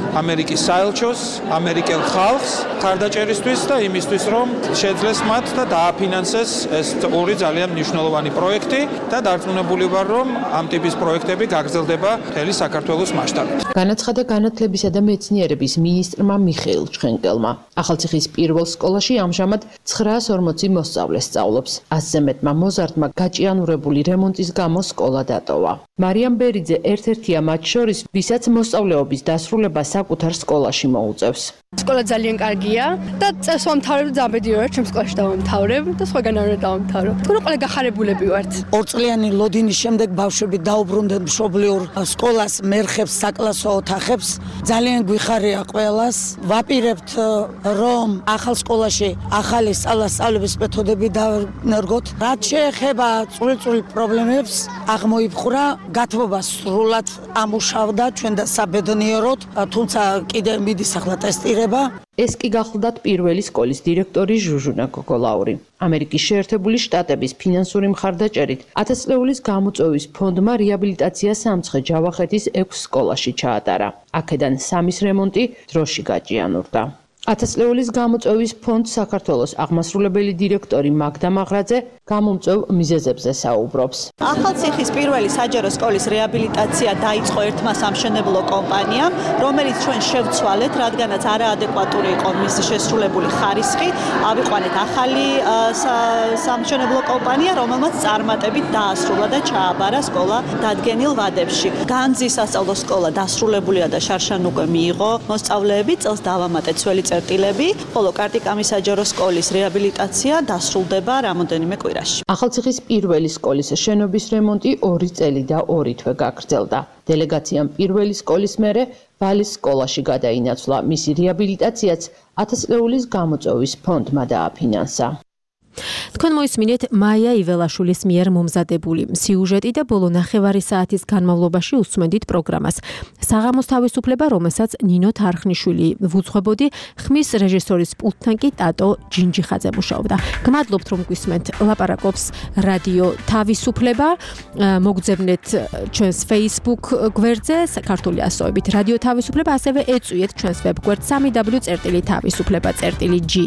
ამერიკის საელჩოს, ამერიკელ ხალხს ხარდაჭერისთვის და იმისთვის, რომ შეძლეს მათ და დააფინანსეს ეს ორი ძალიან მნიშვნელოვანი პროექტი და დარწმუნებული ვარ, რომ ამ ტიპის პროექტები გაგრძელდება მთელი საქართველოს მასშტაბით. განაცხადა განათლებისა და მეცნიერების მინისტრმა მიხეილ ჩხენკელმა. ახალციხის პირველ სკოლაში ამჟამად 940 მოსწავლე სწავლობს. 100-ზე მეტმა მოზარდმა გაჭიანურებული რემონტის გამო სკოლა დატოვა. მარიამ ბერიძე ერთ-ერთია მათ შორის, ვისაც მოსწავლეობის დასრულება საკუთარ სკოლაში მოუწევს. სკოლა ძალიან კარგია და წელს ვამთავრებ და ზაბედი ვარ ჩემ სკოლაში დავამთავრებ და სხვაგან არ დავამთავრებ. თქო ყველა გახარებულები ვართ. 2 წლიანი ლოდინის შემდეგ ბავშვები დაუბრუნდნენ მშობლიურ სკოლას, მერხებს, საკლასო ოთახებს. ძალიან გვიხარია ყველას. ვაპირებთ რომ ახალ სკოლაში ახალი სწავლების მეთოდები დავენერგოთ. რაც შეეხება წვრილ პრობლემებს, აღმოიფხვრა, გათბობა სრულად ამუშავდა ჩვენ და საბედნიეროდ, თუმცა კიდე მიდის ახლა ტესტირება. ეს კი გახლდათ პირველი სკოლის დირექტორი ჟუჟუნა გოგოლაური. ამერიკის შეერთებული შტატების ფინანსური მხარდაჭერით 1000 ლეულის გამოწვევის ფონდმა რეაბილიტაცია სამცხე ჯავახეთის 6 სკოლაში ჩაატარა. აქედან 3-ის რემონტი დროში გაჭიანურდა. 1000 ლეულის გამოწვევის ფონდს საქართველოს აღმასრულებელი დირექტორი მაგდა მაღრაძე გამომწვევ მიზეზებზე საუბრობს. ახალციხის პირველი საჯარო სკოლის რეაბილიტაცია დაიწყო ერთმა სამშენებლო კომპანიამ, რომელიც ჩვენ შევცვალეთ, რადგანაც არაადეკვატური იყო მისი შესრულებული ხარისხი. ავიყვანეთ ახალი სამშენებლო კომპანია, რომელმაც წარმატებით დაასრულა და ჩააბარა სკოლა დადგენილ ვადებში. განძის სასწავლო სკოლა დასრულებულია და შარშან უკვე მიიღო მოსწავლეები, წელს დავამატეთ ძველი წერტილები, ხოლო კარტიკამის საჯარო სკოლის რეაბილიტაცია დასრულდება რამოდენიმე კვირაში. ახალციხის პირველი სკოლის შენობის რემონტი 2 წელი და 2 თვე გაგრძელდა. დელეგაციამ პირველი სკოლის მერე ვალის სკოლაში გადაინაცვლა. მისი რეაბილიტაციაც 1000 ლეულის გამოწვევის ფონდმა დააფინანსა. თქვენ მოისმინეთ მაია იველაშვილის მიერ მომზადებული სიუჟეტი და ბოლო ნახევარი საათის განმავლობაში უსმენდით პროგრამას. საღამოს თავისუფლება, რომელსაც ნინო თარხნიშვილი ვუძღვებოდი, ხმის რეჟისორის პულტთან კი ტატო ჯინჯიხაძე მუშაობდა. გმადლობთ, რომ გვისმენთ ლაპარაკობს რადიო თავისუფლება. მოგძებნეთ ჩვენს Facebook გვერდზე საქართველოს ასოებით რადიო თავისუფლება, ასევე ეწვიეთ ჩვენს ვებგვერდ www.tavisufleba.ge.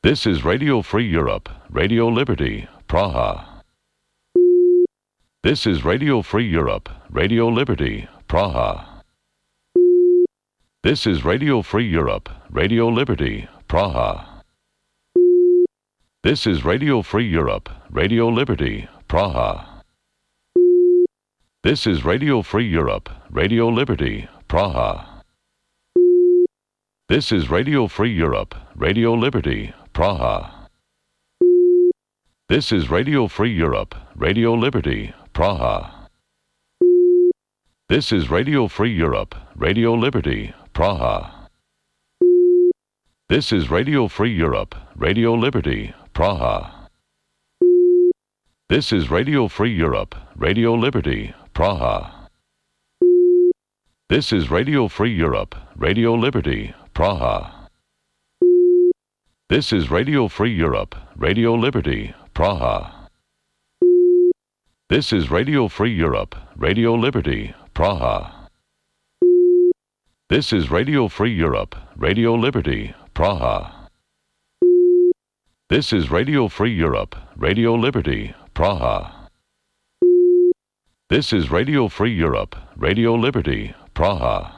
This is Radio Free Europe, Radio Liberty, Praha. This is Radio Free Europe, Radio Liberty, Praha. This is Radio Free Europe, Radio Liberty, Praha. This is Radio Free Europe, Radio Liberty, Praha. This is Radio Free Europe, Radio Liberty, Praha. This is Radio Free Europe, Radio Liberty, Praha. This is Radio Free Europe, Radio Liberty, Praha. This is Radio Free Europe, Radio Liberty, Praha. This is Radio Free Europe, Radio Liberty, Praha. This is Radio Free Europe, Radio Liberty, Praha. This is Radio Free Europe, Radio Liberty, Praha. This is Radio Free Europe, Radio Liberty, Praha. This is Radio Free Europe, Radio Liberty, Praha. This is Radio Free Europe, Radio Liberty, Praha. This is Radio Free Europe, Radio Liberty, Praha. This is Radio Free Europe, Radio Liberty, Praha. This is Radio Free Europe, Radio Liberty, Praha.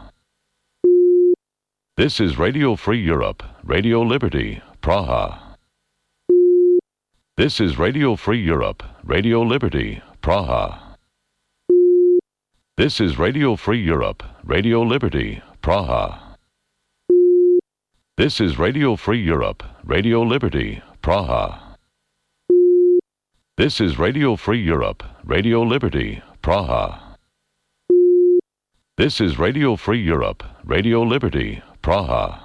This is Radio Free Europe, Radio Liberty, Praha. This is Radio Free Europe, Radio Liberty, Praha. This is Radio Free Europe, Radio Liberty, Praha. This is Radio Free Europe, Radio Liberty, Praha. This is Radio Free Europe, Radio Liberty, Praha. This is Radio Free Europe, Radio Liberty, Praha.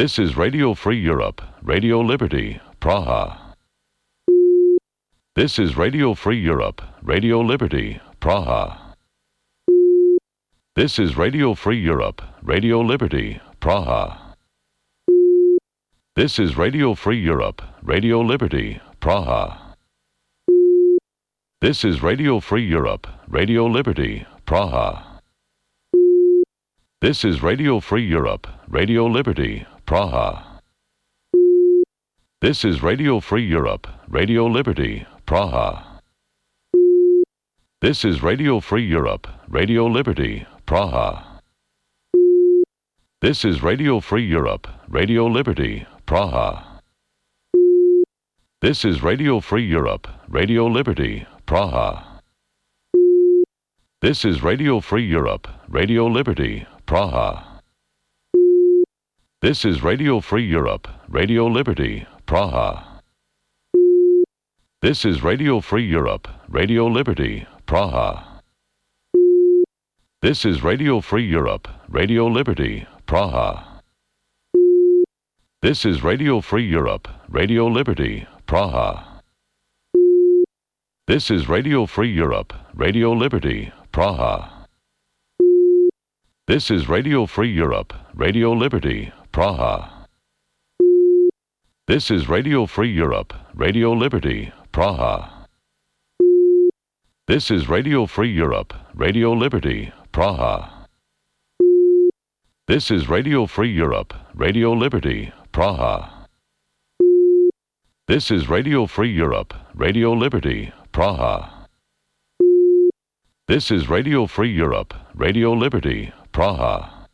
This is Radio Free Europe, Radio Liberty, Praha. This is Radio Free Europe, Radio Liberty, Praha. This is Radio Free Europe, Radio Liberty, Praha. This is Radio Free Europe, Radio Liberty, Praha. This is Radio Free Europe, Radio Liberty, Praha. This is Radio Free Europe, Radio Liberty, Praha. This is Radio Free Europe, Radio Liberty, Praha. This is Radio Free Europe, Radio Liberty, Praha. This is Radio Free Europe, Radio Liberty, Praha. This is Radio Free Europe, Radio Liberty, Praha. This is Radio Free Europe, Radio Liberty, Praha. This is Radio Free Europe, Radio Liberty, Praha. This is Radio Free Europe, Radio Liberty, Praha. This is Radio Free Europe, Radio Liberty, Praha. This is Radio Free Europe, Radio Liberty, Praha. This is Radio Free Europe, Radio Liberty, Praha. This is Radio Free Europe, Radio Liberty, Praha. This is Radio Free Europe, Radio Liberty, Praha. This is Radio Free Europe, Radio Liberty, Praha. This is Radio Free Europe, Radio Liberty, Praha. This is Radio Free Europe, Radio Liberty, Praha. This is Radio Free Europe, Radio Liberty, Praha.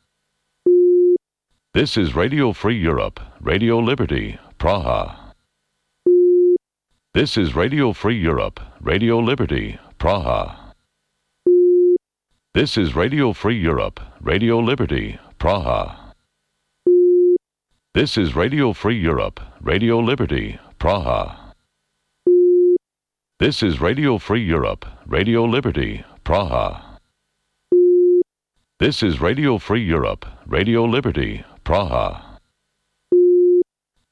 This is Radio Free Europe, Radio Liberty, Praha. This is Radio Free Europe, Radio Liberty, Praha. This is Radio Free Europe, Radio Liberty, Praha. This is Radio Free Europe, Radio Liberty, Praha. This is Radio Free Europe, Radio Liberty, Praha. This is Radio Free Europe, Radio Liberty, Praha.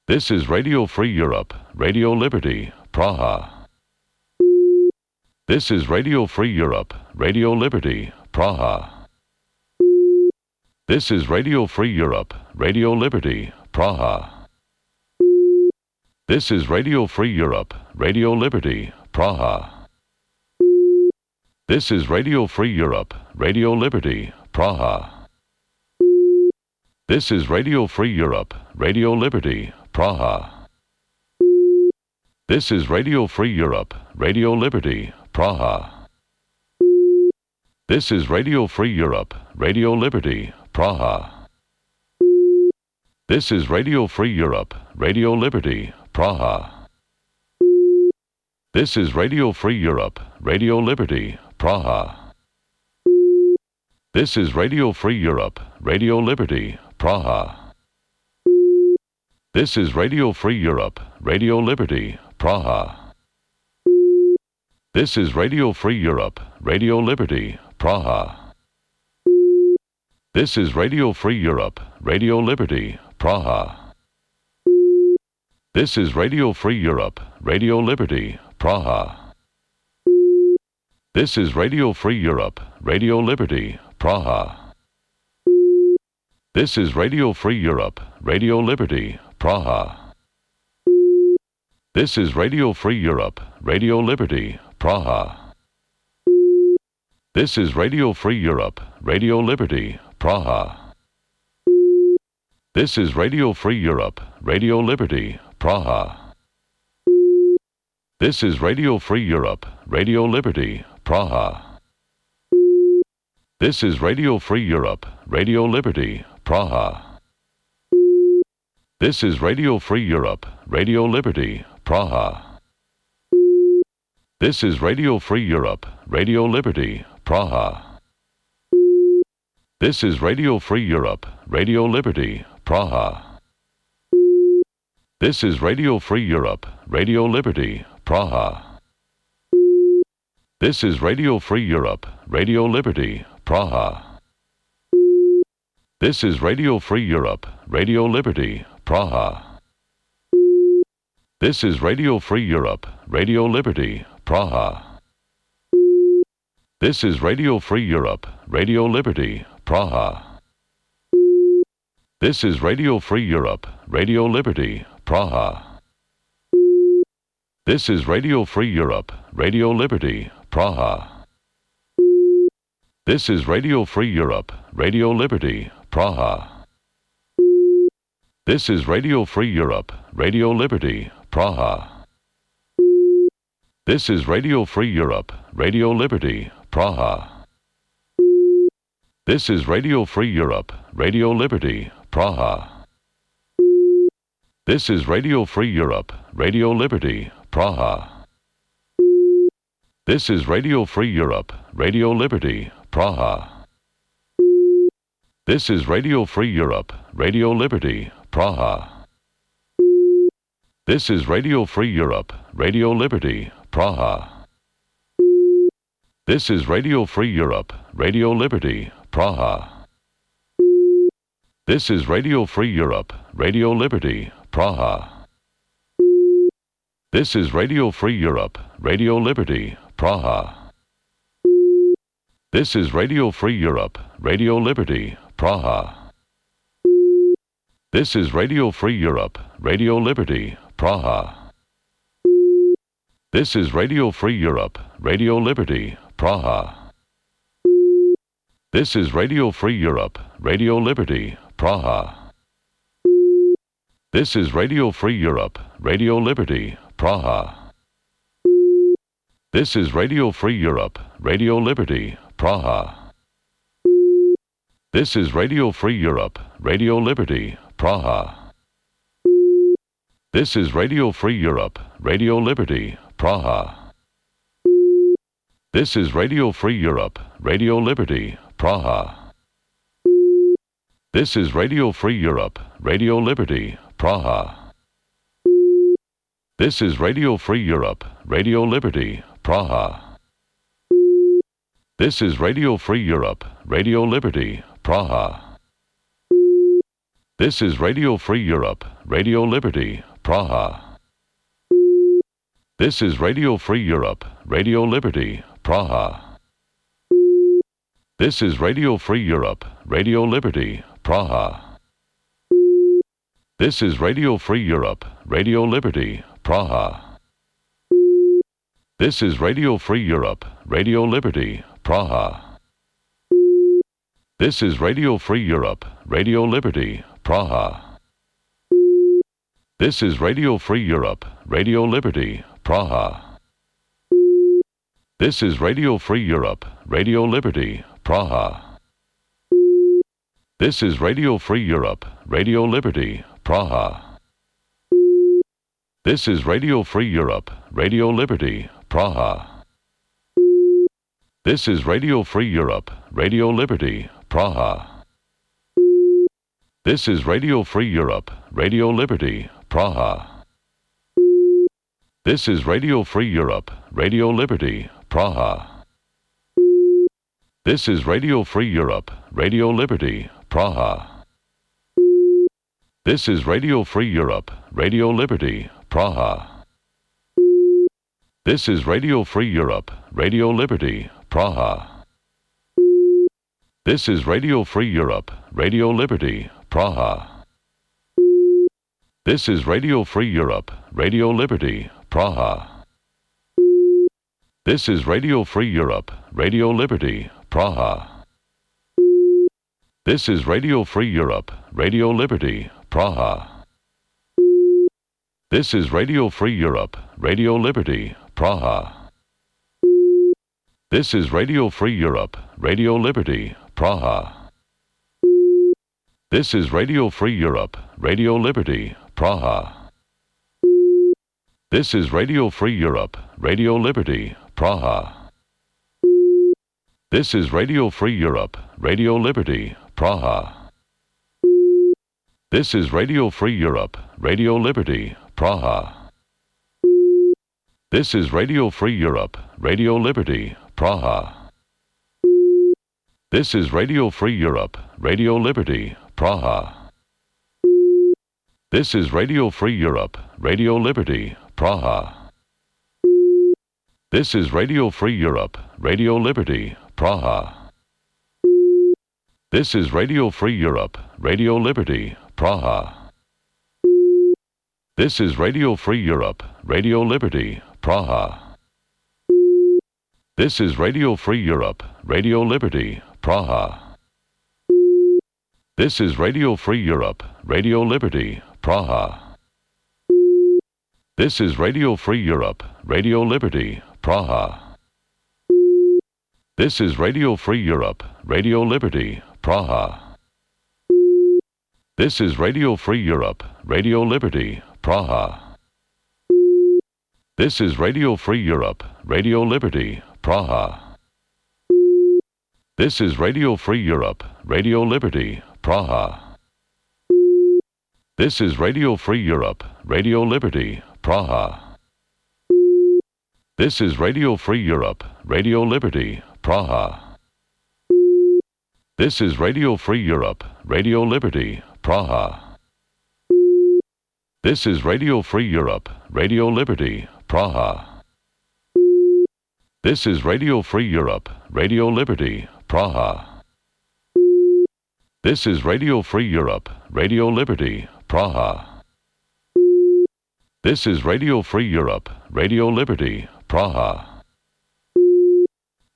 This is Radio Free Europe, Radio Liberty, Praha. This is Radio Free Europe, Radio Liberty, Praha. This is Radio Free Europe, Radio Liberty, Praha. This is Radio Free Europe, Radio Liberty, Praha. This is Radio Free Europe, Radio Liberty, Praha. This is Radio Free Europe, Radio Liberty, Praha. This is Radio Free Europe, Radio Liberty, Praha. This is Radio Free Europe, Radio Liberty, Praha. This is Radio Free Europe, Radio Liberty, Praha. This is Radio Free Europe, Radio Liberty, Praha. This is Radio Free Europe, Radio Liberty, Praha. This is Radio Free Europe, Radio Liberty, Praha. This is Radio Free Europe, Radio Liberty, Praha. This is Radio Free Europe, Radio Liberty, Praha. This is Radio Free Europe, Radio Liberty, Praha. This is Radio Free Europe, Radio Liberty, Praha. This is Radio Free Europe, Radio Liberty, Praha. This is Radio Free Europe, Radio Liberty, Praha. This is Radio Free Europe, Radio Liberty, Praha. This is Radio Free Europe, Radio Liberty, Praha. This is Radio Free Europe, Radio Liberty, Praha. This is Radio Free Europe, Radio Liberty, Praha. This is Radio Free Europe, Radio Liberty, Praha. This is Radio Free Europe, Radio Liberty, Praha. This is Radio Free Europe, Radio Liberty, Praha. This is Radio Free Europe, Radio Liberty, Praha. This is Radio Free Europe, Radio Liberty, Praha. This is Radio Free Europe, Radio Liberty, Praha. This is Radio Free Europe, Radio Liberty, Praha. This is Radio Free Europe, Radio Liberty, Praha. This is Radio Free Europe, Radio Liberty, Praha. This is Radio Free Europe, Radio Liberty, Praha. This is Radio Free Europe, Radio Liberty, Praha. This is Radio Free Europe, Radio Liberty, Praha. This is Radio Free Europe, Radio Liberty, Praha. This is Radio Free Europe, Radio Liberty, Praha. This is Radio Free Europe, Radio Liberty, Praha. This is Radio Free Europe, Radio Liberty, Praha. This is Radio Free Europe, Radio Liberty, Praha. This is Radio Free Europe, Radio Liberty, Praha. This is Radio Free Europe, Radio Liberty, Praha. This is Radio Free Europe, Radio Liberty, Praha. This is Radio Free Europe, Radio Liberty, Praha. This is Radio Free Europe, Radio Liberty, Praha. This is Radio Free Europe, Radio Liberty, Praha. This is Radio Free Europe, Radio Liberty, Praha. This is Radio Free Europe, Radio Liberty, Praha. This is Radio Free Europe, Radio Liberty, Praha. This is Radio Free Europe, Radio Liberty, Praha. This is Radio Free Europe, Radio Liberty, Praha. This is Radio Free Europe, Radio Liberty, Praha. This is Radio Free Europe, Radio Liberty, Praha. This is Radio Free Europe, Radio Liberty, Praha. This is Radio Free Europe, Radio Liberty, Praha. This is Radio Free Europe, Radio Liberty, Praha. This is Radio Free Europe, Radio Liberty, Praha. This is Radio Free Europe, Radio Liberty, Praha. This is Radio Free Europe, Radio Liberty, Praha. This is Radio Free Europe, Radio Liberty, Praha. This is Radio Free Europe, Radio Liberty, Praha. This is Radio Free Europe, Radio Liberty, Praha. This is Radio Free Europe, Radio Liberty, Praha. This is Radio Free Europe, Radio Liberty, Praha. This is Radio Free Europe, Radio Liberty, Praha. This is Radio Free Europe, Radio Liberty, Praha. This is Radio Free Europe, Radio Liberty, Praha. This is Radio Free Europe, Radio Liberty, Praha. This is Radio Free Europe, Radio Liberty, Praha. This is Radio Free Europe, Radio Liberty, Praha. This is Radio Free Europe, Radio Liberty, Praha. This is Radio Free Europe, Radio Liberty, Praha. This is Radio Free Europe, Radio Liberty, Praha. This is Radio Free Europe, Radio Liberty, Praha. This is Radio Free Europe, Radio Liberty, Praha. This is Radio Free Europe, Radio Liberty, Praha. This is Radio Free Europe, Radio Liberty, Praha. This is Radio Free Europe, Radio Liberty, Praha. This is Radio Free Europe, Radio Liberty, Praha. This is Radio Free Europe, Radio Liberty, Praha. This is Radio Free Europe, Radio Liberty, Praha. This is Radio Free Europe, Radio Liberty, Praha. This is Radio Free Europe, Radio Liberty, Praha. This is Radio Free Europe, Radio Liberty, Praha. This is Radio Free Europe, Radio Liberty, Praha. This is Radio Free Europe, Radio Liberty, Praha. This is Radio Free Europe, Radio Liberty, Praha. This is Radio Free Europe, Radio Liberty, Praha. This is Radio Free Europe, Radio Liberty, Praha. This is Radio Free Europe, Radio Liberty, Praha. This is Radio Free Europe, Radio Liberty, Praha. This is Radio Free Europe, Radio Liberty, Praha. This is Radio Free Europe, Radio Liberty, Praha. This is Radio Free Europe, Radio Liberty, Praha. This is Radio Free Europe, Radio Liberty, Praha. This is Radio Free Europe, Radio Liberty, Praha. This is Radio Free Europe, Radio Liberty, Praha. This is Radio Free Europe, Radio Liberty, Praha. This is Radio Free Europe, Radio Liberty, Praha. This is Radio Free Europe, Radio Liberty, Praha. This is Radio Free Europe, Radio Liberty, Praha. This is Radio Free Europe, Radio Liberty, Praha.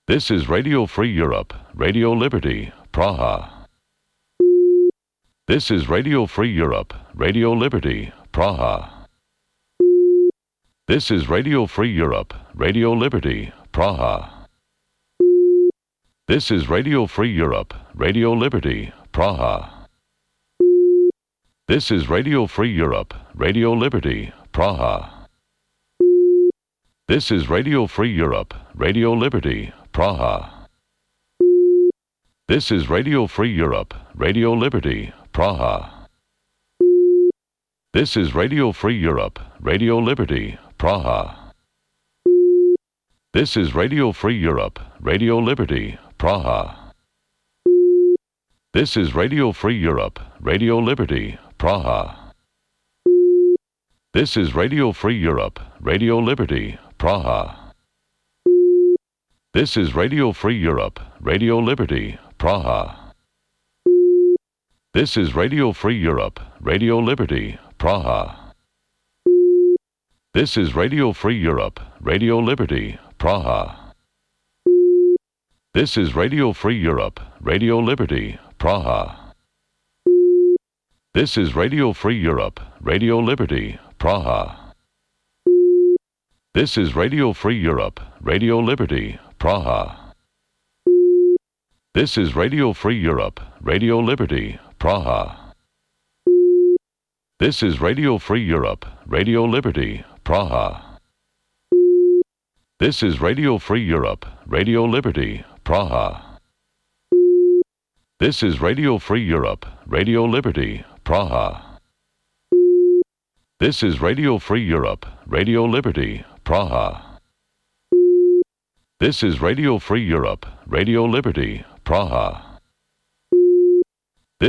This is Radio Free Europe, Radio Liberty, Praha. This is Radio Free Europe, Radio Liberty, Praha. This is Radio Free Europe, Radio Liberty, Praha. This is Radio Free Europe, Radio Liberty, Praha. This is Radio Free Europe, Radio Liberty, Praha. This is Radio Free Europe, Radio Liberty, Praha. This is Radio Free Europe, Radio Liberty, Praha. This is Radio Free Europe, Radio Liberty, Praha. This is Radio Free Europe, Radio Liberty, Praha. This is Radio Free Europe, Radio Liberty, Praha. This is Radio Free Europe, Radio Liberty, Praha. This is Radio Free Europe, Radio Liberty, Praha. This is Radio Free Europe, Radio Liberty, Praha. This is Radio Free Europe, Radio Liberty, Praha. This is Radio Free Europe, Radio Liberty, Praha. This is Radio Free Europe, Radio Liberty, Praha. This is Radio Free Europe, Radio Liberty, Praha. This is Radio Free Europe, Radio Liberty, Praha. This is Radio Free Europe, Radio Liberty, Praha. This is Radio Free Europe, Radio Liberty, Praha. This is Radio Free Europe, Radio Liberty, Praha. This is Radio Free Europe, Radio Liberty, Praha. This is Radio Free Europe, Radio Liberty, Praha.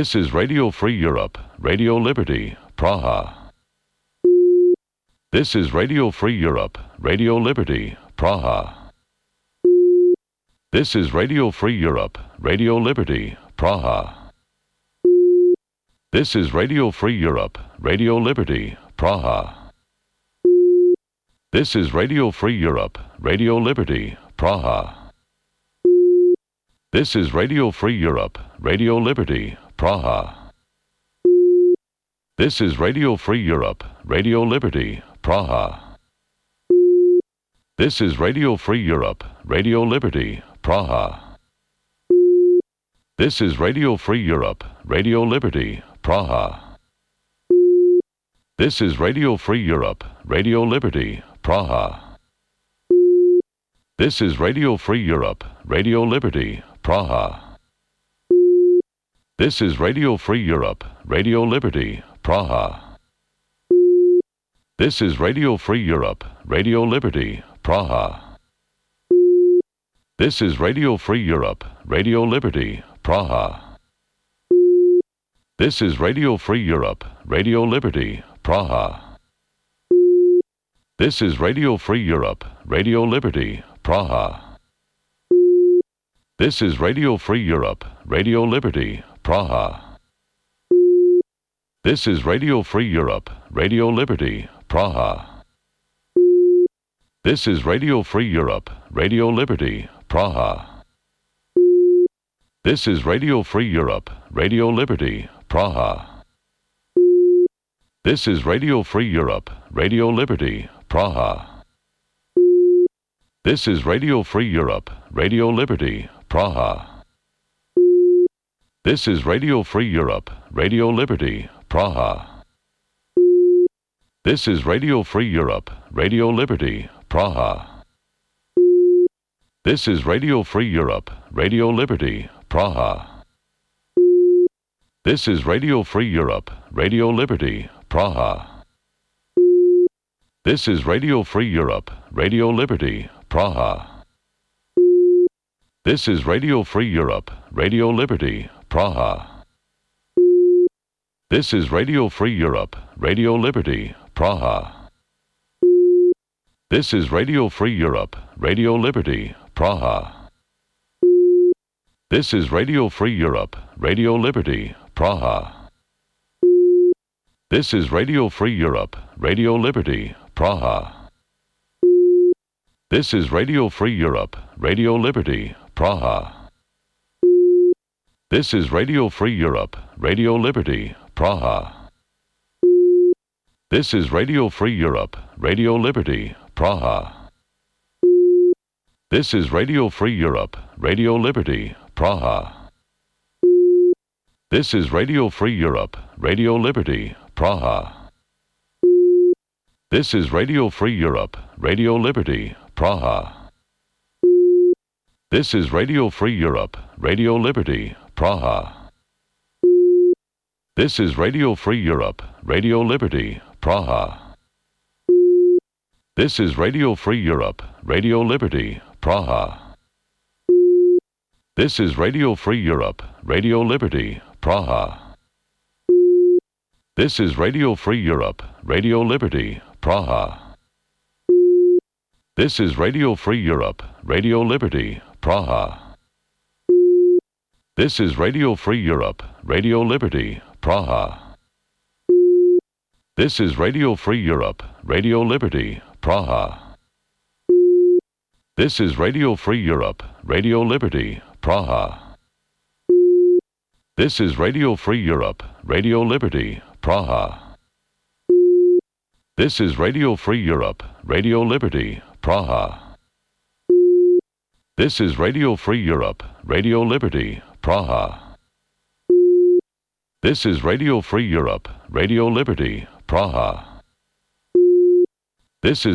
This is Radio Free Europe, Radio Liberty, Praha. This is Radio Free Europe, Radio Liberty, Praha. This is Radio Free Europe, Radio Liberty, Praha. This is Radio Free Europe, Radio Liberty, Praha. This is Radio Free Europe, Radio Liberty, Praha. This is Radio Free Europe, Radio Liberty, Praha. This is Radio Free Europe, Radio Liberty, Praha. This is Radio Free Europe, Radio Liberty, Praha. This is Radio Free Europe, Radio Liberty, Praha. This is Radio Free Europe, Radio Liberty, Praha. This is Radio Free Europe, Radio Liberty, Praha. This is Radio Free Europe, Radio Liberty, Praha. This is Radio Free Europe, Radio Liberty, Praha. This is Radio Free Europe, Radio Liberty, Praha. This is Radio Free Europe, Radio Liberty, Praha. This is Radio Free Europe, Radio Liberty, Praha. This is Radio Free Europe, Radio Liberty, Praha. This is Radio Free Europe, Radio Liberty, Praha. This is Radio Free Europe, Radio Liberty, Praha. This is Radio Free Europe, Radio Liberty, Praha. This is Radio Free Europe, Radio Liberty, Praha. This is Radio Free Europe, Radio Liberty, Praha. This is Radio Free Europe, Radio Liberty, Praha. This is Radio Free Europe, Radio Liberty, Praha. This is Radio Free Europe, Radio Liberty, Praha. This is Radio Free Europe, Radio Liberty, Praha. This is Radio Free Europe, Radio Liberty, Praha. This is Radio Free Europe, Radio Liberty, Praha. This is Radio Free Europe, Radio Liberty, Praha. This is Radio Free Europe, Radio Liberty, Praha. This is Radio Free Europe, Radio Liberty, Praha. This is Radio Free Europe, Radio Liberty, Praha. This is Radio Free Europe, Radio Liberty, Praha. This is Radio Free Europe, Radio Liberty, Praha. This is Radio Free Europe, Radio Liberty, Praha. This is Radio Free Europe, Radio Liberty, Praha. This is Radio Free Europe, Radio Liberty, Praha. This is Radio Free Europe, Radio Liberty, Praha. This is Radio Free Europe, Radio Liberty, Praha. This is Radio Free Europe, Radio Liberty, Praha. This is Radio Free Europe, Radio Liberty, Praha. This is Radio Free Europe, Radio Liberty, Praha. This is Radio Free Europe, Radio Liberty, Praha. This is Radio Free Europe, Radio Liberty, Praha. This is Radio Free Europe, Radio Liberty, Praha. This is Radio Free Europe, Radio Liberty, Praha. This is Radio Free Europe, Radio Liberty, Praha. This is Radio Free Europe, Radio Liberty, Praha. This is Radio Free Europe, Radio Liberty, Praha. This is Radio Free Europe, Radio Liberty, Praha. This is Radio Free Europe, Radio Liberty, Praha. This is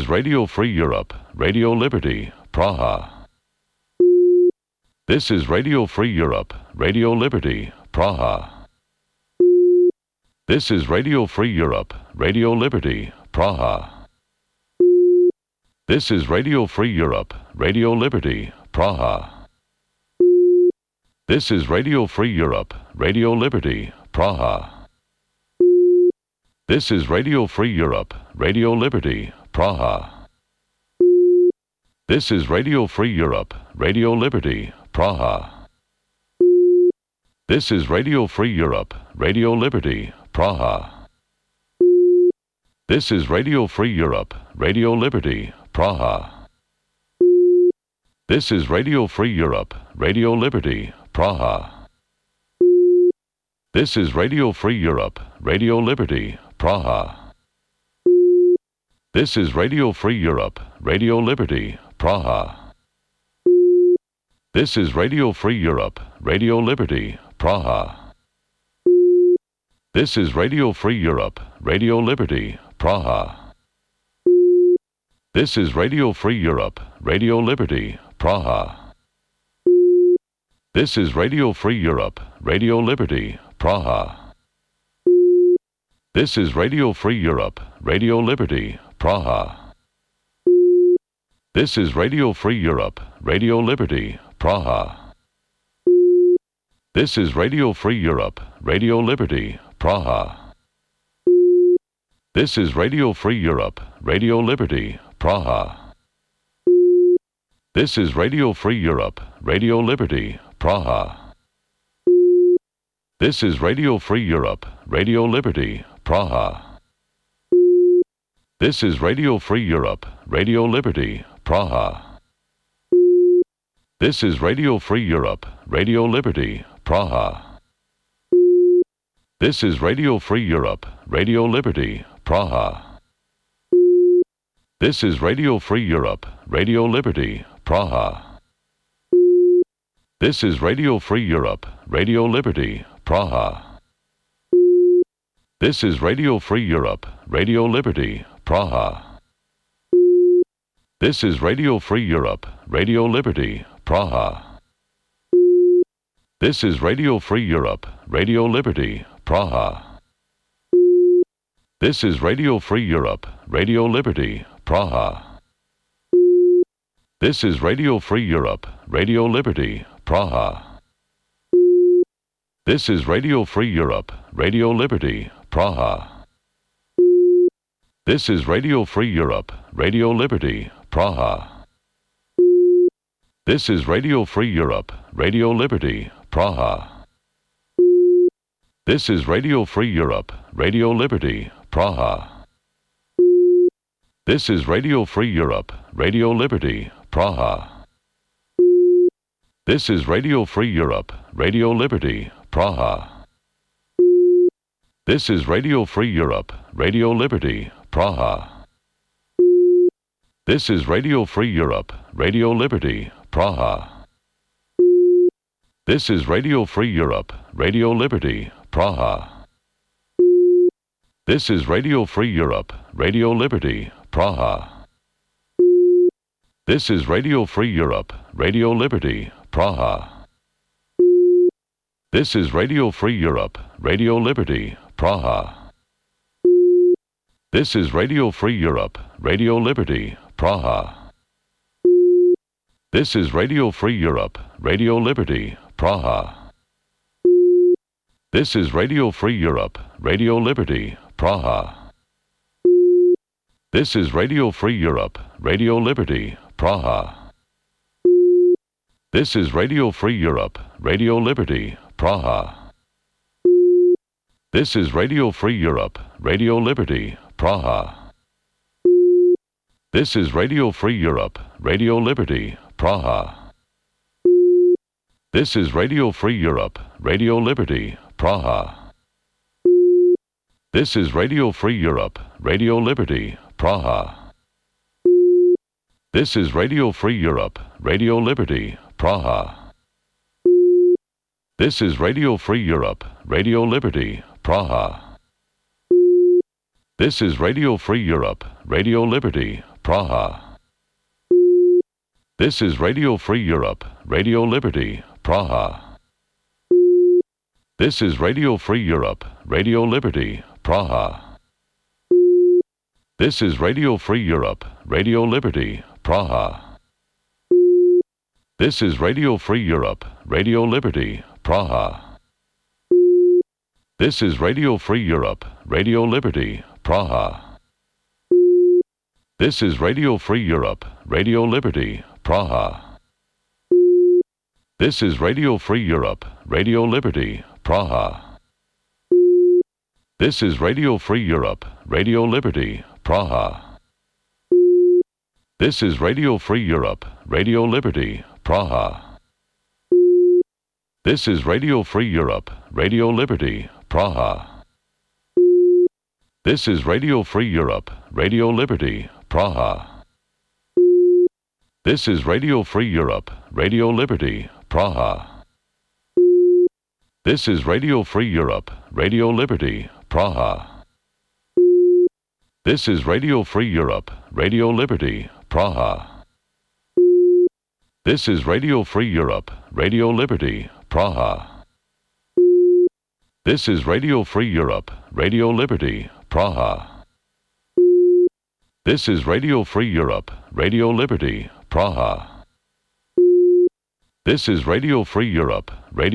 Radio Free Europe, Radio Liberty, Praha. This is Radio Free Europe, Radio Liberty, Praha. This is Radio Free Europe, Radio Liberty, Praha. This is Radio Free Europe, Radio Liberty, Praha. This is Radio Free Europe, Radio Liberty, Praha. This is Radio Free Europe, Radio Liberty, Praha. This is Radio Free Europe, Radio Liberty, Praha. This is Radio Free Europe, Radio Liberty, Praha. This is Radio Free Europe, Radio Liberty, Praha. This is Radio Free Europe, Radio Liberty, Praha. This is Radio Free Europe, Radio Liberty, Praha. This is Radio Free Europe, Radio Liberty, Praha. This is Radio Free Europe, Radio Liberty, Praha. This is Radio Free Europe, Radio Liberty, Praha. This is Radio Free Europe, Radio Liberty, Praha. This is Radio Free Europe, Radio Liberty, Praha. This is Radio Free Europe, Radio Liberty, Praha. This is Radio Free Europe, Radio Liberty, Praha. This is Radio Free Europe, Radio Liberty, Praha. This is Radio Free Europe, Radio Liberty, Praha. This is Radio Free Europe, Radio Liberty, Praha. This is Radio Free Europe, Radio Liberty, Praha. This is Radio Free Europe, Radio Liberty, Praha. This is Radio Free Europe, Radio Liberty, Praha. This is Radio Free Europe, Radio Liberty, Praha. This is Radio Free Europe, Radio Liberty, Praha. This is Radio Free Europe, Radio Liberty, Praha. This is Radio Free Europe, Radio Liberty, Praha. This is Radio Free Europe, Radio Liberty, Praha. This is Radio Free Europe, Radio Liberty, Praha. This is Radio Free Europe, Radio Liberty, Praha. This is Radio Free Europe, Radio Liberty, Praha. This is Radio Free Europe, Radio Liberty, Praha. This is Radio Free Europe, Radio Liberty, Praha. This is Radio Free Europe, Radio Liberty, Praha. This is Radio Free Europe, Radio Liberty, Praha. This is Radio Free Europe, Radio Liberty, Praha. This is Radio Free Europe, Radio Liberty, Praha. This is Radio Free Europe, Radio Liberty, Praha. This is Radio Free Europe, Radio Liberty, Praha. This is Radio Free Europe, Radio Liberty, Praha. This is Radio Free Europe, Radio Liberty, Praha. This is Radio Free Europe, Radio Liberty, Praha. This is Radio Free Europe, Radio Liberty, Praha. This is Radio Free Europe, Radio Liberty, Praha. This is Radio Free Europe, Radio Liberty, Praha. This is Radio Free Europe, Radio Liberty, Praha. This is Radio Free Europe, Radio Liberty, Praha. This is Radio Free Europe, Radio Liberty, Praha. This is Radio Free Europe, Radio Liberty, Praha. This is Radio Free Europe, Radio Liberty, Praha. This is Radio Free Europe, Radio Liberty, Praha. This is Radio Free Europe, Radio Liberty, Praha. This is Radio Free Europe, Radio Liberty, Praha. This is Radio Free Europe, Radio Liberty, Praha. This is Radio Free Europe, Radio Liberty, Praha. This is Radio Free Europe, Radio Liberty, Praha. This is Radio Free Europe, Radio Liberty, Praha. This is Radio Free Europe, Radio Liberty, Praha. This is Radio Free Europe, Radio Liberty, Praha. This is Radio Free Europe, Radio Liberty, Praha. This is Radio Free Europe, Radio Liberty, Praha. This is Radio Free Europe, Radio Liberty, Praha. This is Radio Free Europe, Radio Liberty, Praha. This is Radio Free Europe, Radio Liberty, Praha. This is Radio Free Europe, Radio Liberty, Praha. This is Radio Free Europe, Radio Liberty, Praha. This is Radio Free Europe, Radio Liberty, Praha. This is Radio Free Europe, Radio Liberty, Praha. This is Radio Free Europe, Radio Liberty, Praha. This is Radio Free Europe, Radio Liberty, Praha. This is Radio Free Europe, Radio Liberty, Praha. This is Radio Free Europe, Radio Liberty, Praha. This is Radio Free Europe,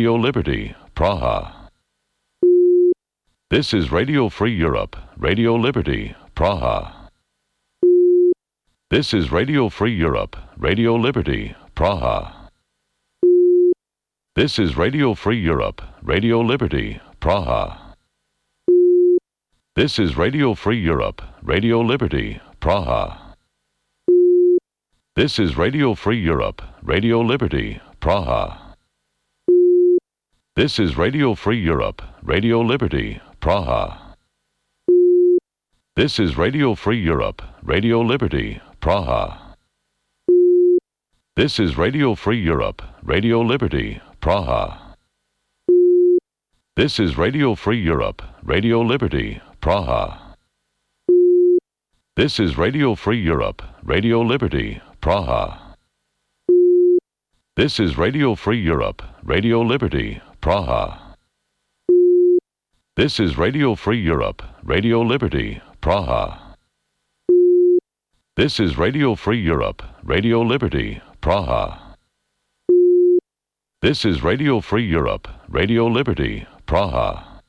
Radio Liberty, Praha. This is Radio Free Europe, Radio Liberty, Praha. This is Radio Free Europe, Radio Liberty, Praha. This is Radio Free Europe, Radio Liberty, Praha. This is Radio Free Europe, Radio Liberty, Praha. This is Radio Free Europe, Radio Liberty, Praha. This is Radio Free Europe, Radio Liberty, Praha. This is Radio Free Europe, Radio Liberty, Praha. This is Radio Free Europe, Radio Liberty, Praha. This is Radio Free Europe, Radio Liberty, Praha. This is Radio Free Europe, Radio Liberty, Praha. This is Radio Free Europe, Radio Liberty, Praha. This is Radio Free Europe, Radio Liberty, Praha. This is Radio Free Europe, Radio Liberty, Praha. This is Radio Free Europe, Radio Liberty, Praha.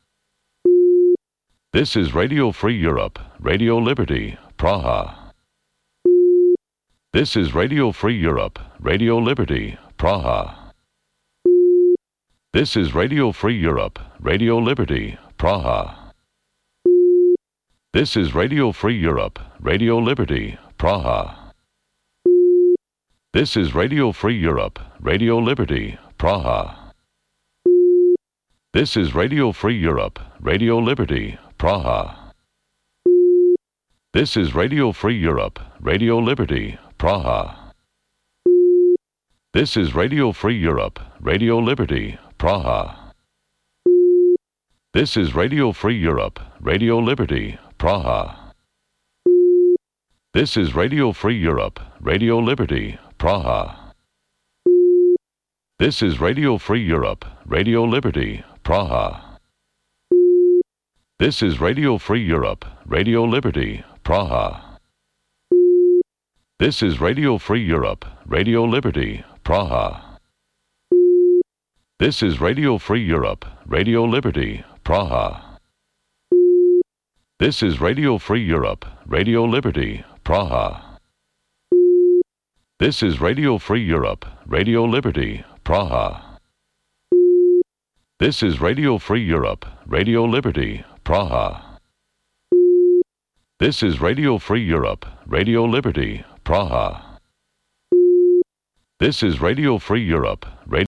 This is Radio Free Europe, Radio Liberty, Praha. This is Radio Free Europe, Radio Liberty, Praha. This is Radio Free Europe, Radio Liberty, Praha. This is Radio Free Europe, Radio Liberty, Praha. This is Radio Free Europe, Radio Liberty, Praha. This is Radio Free Europe, Radio Liberty, Praha. This is Radio Free Europe, Radio Liberty, Praha. This is Radio Free Europe, Radio Liberty, Praha. This is Radio Free Europe, Radio Liberty, Praha. This is Radio Free Europe, Radio Liberty, Praha. This is Radio Free Europe, Radio Liberty, Praha. This is Radio Free Europe, Radio Liberty, Praha. This is Radio Free Europe, Radio Liberty, Praha. This is Radio Free Europe, Radio Liberty, Praha. This is Radio Free Europe, Radio Liberty, Praha. This is Radio Free Europe, Radio Liberty, Praha. This is Radio Free Europe, Radio Liberty, Praha. This is Radio Free Europe, Radio Liberty, Praha. This is Radio Free Europe, Radio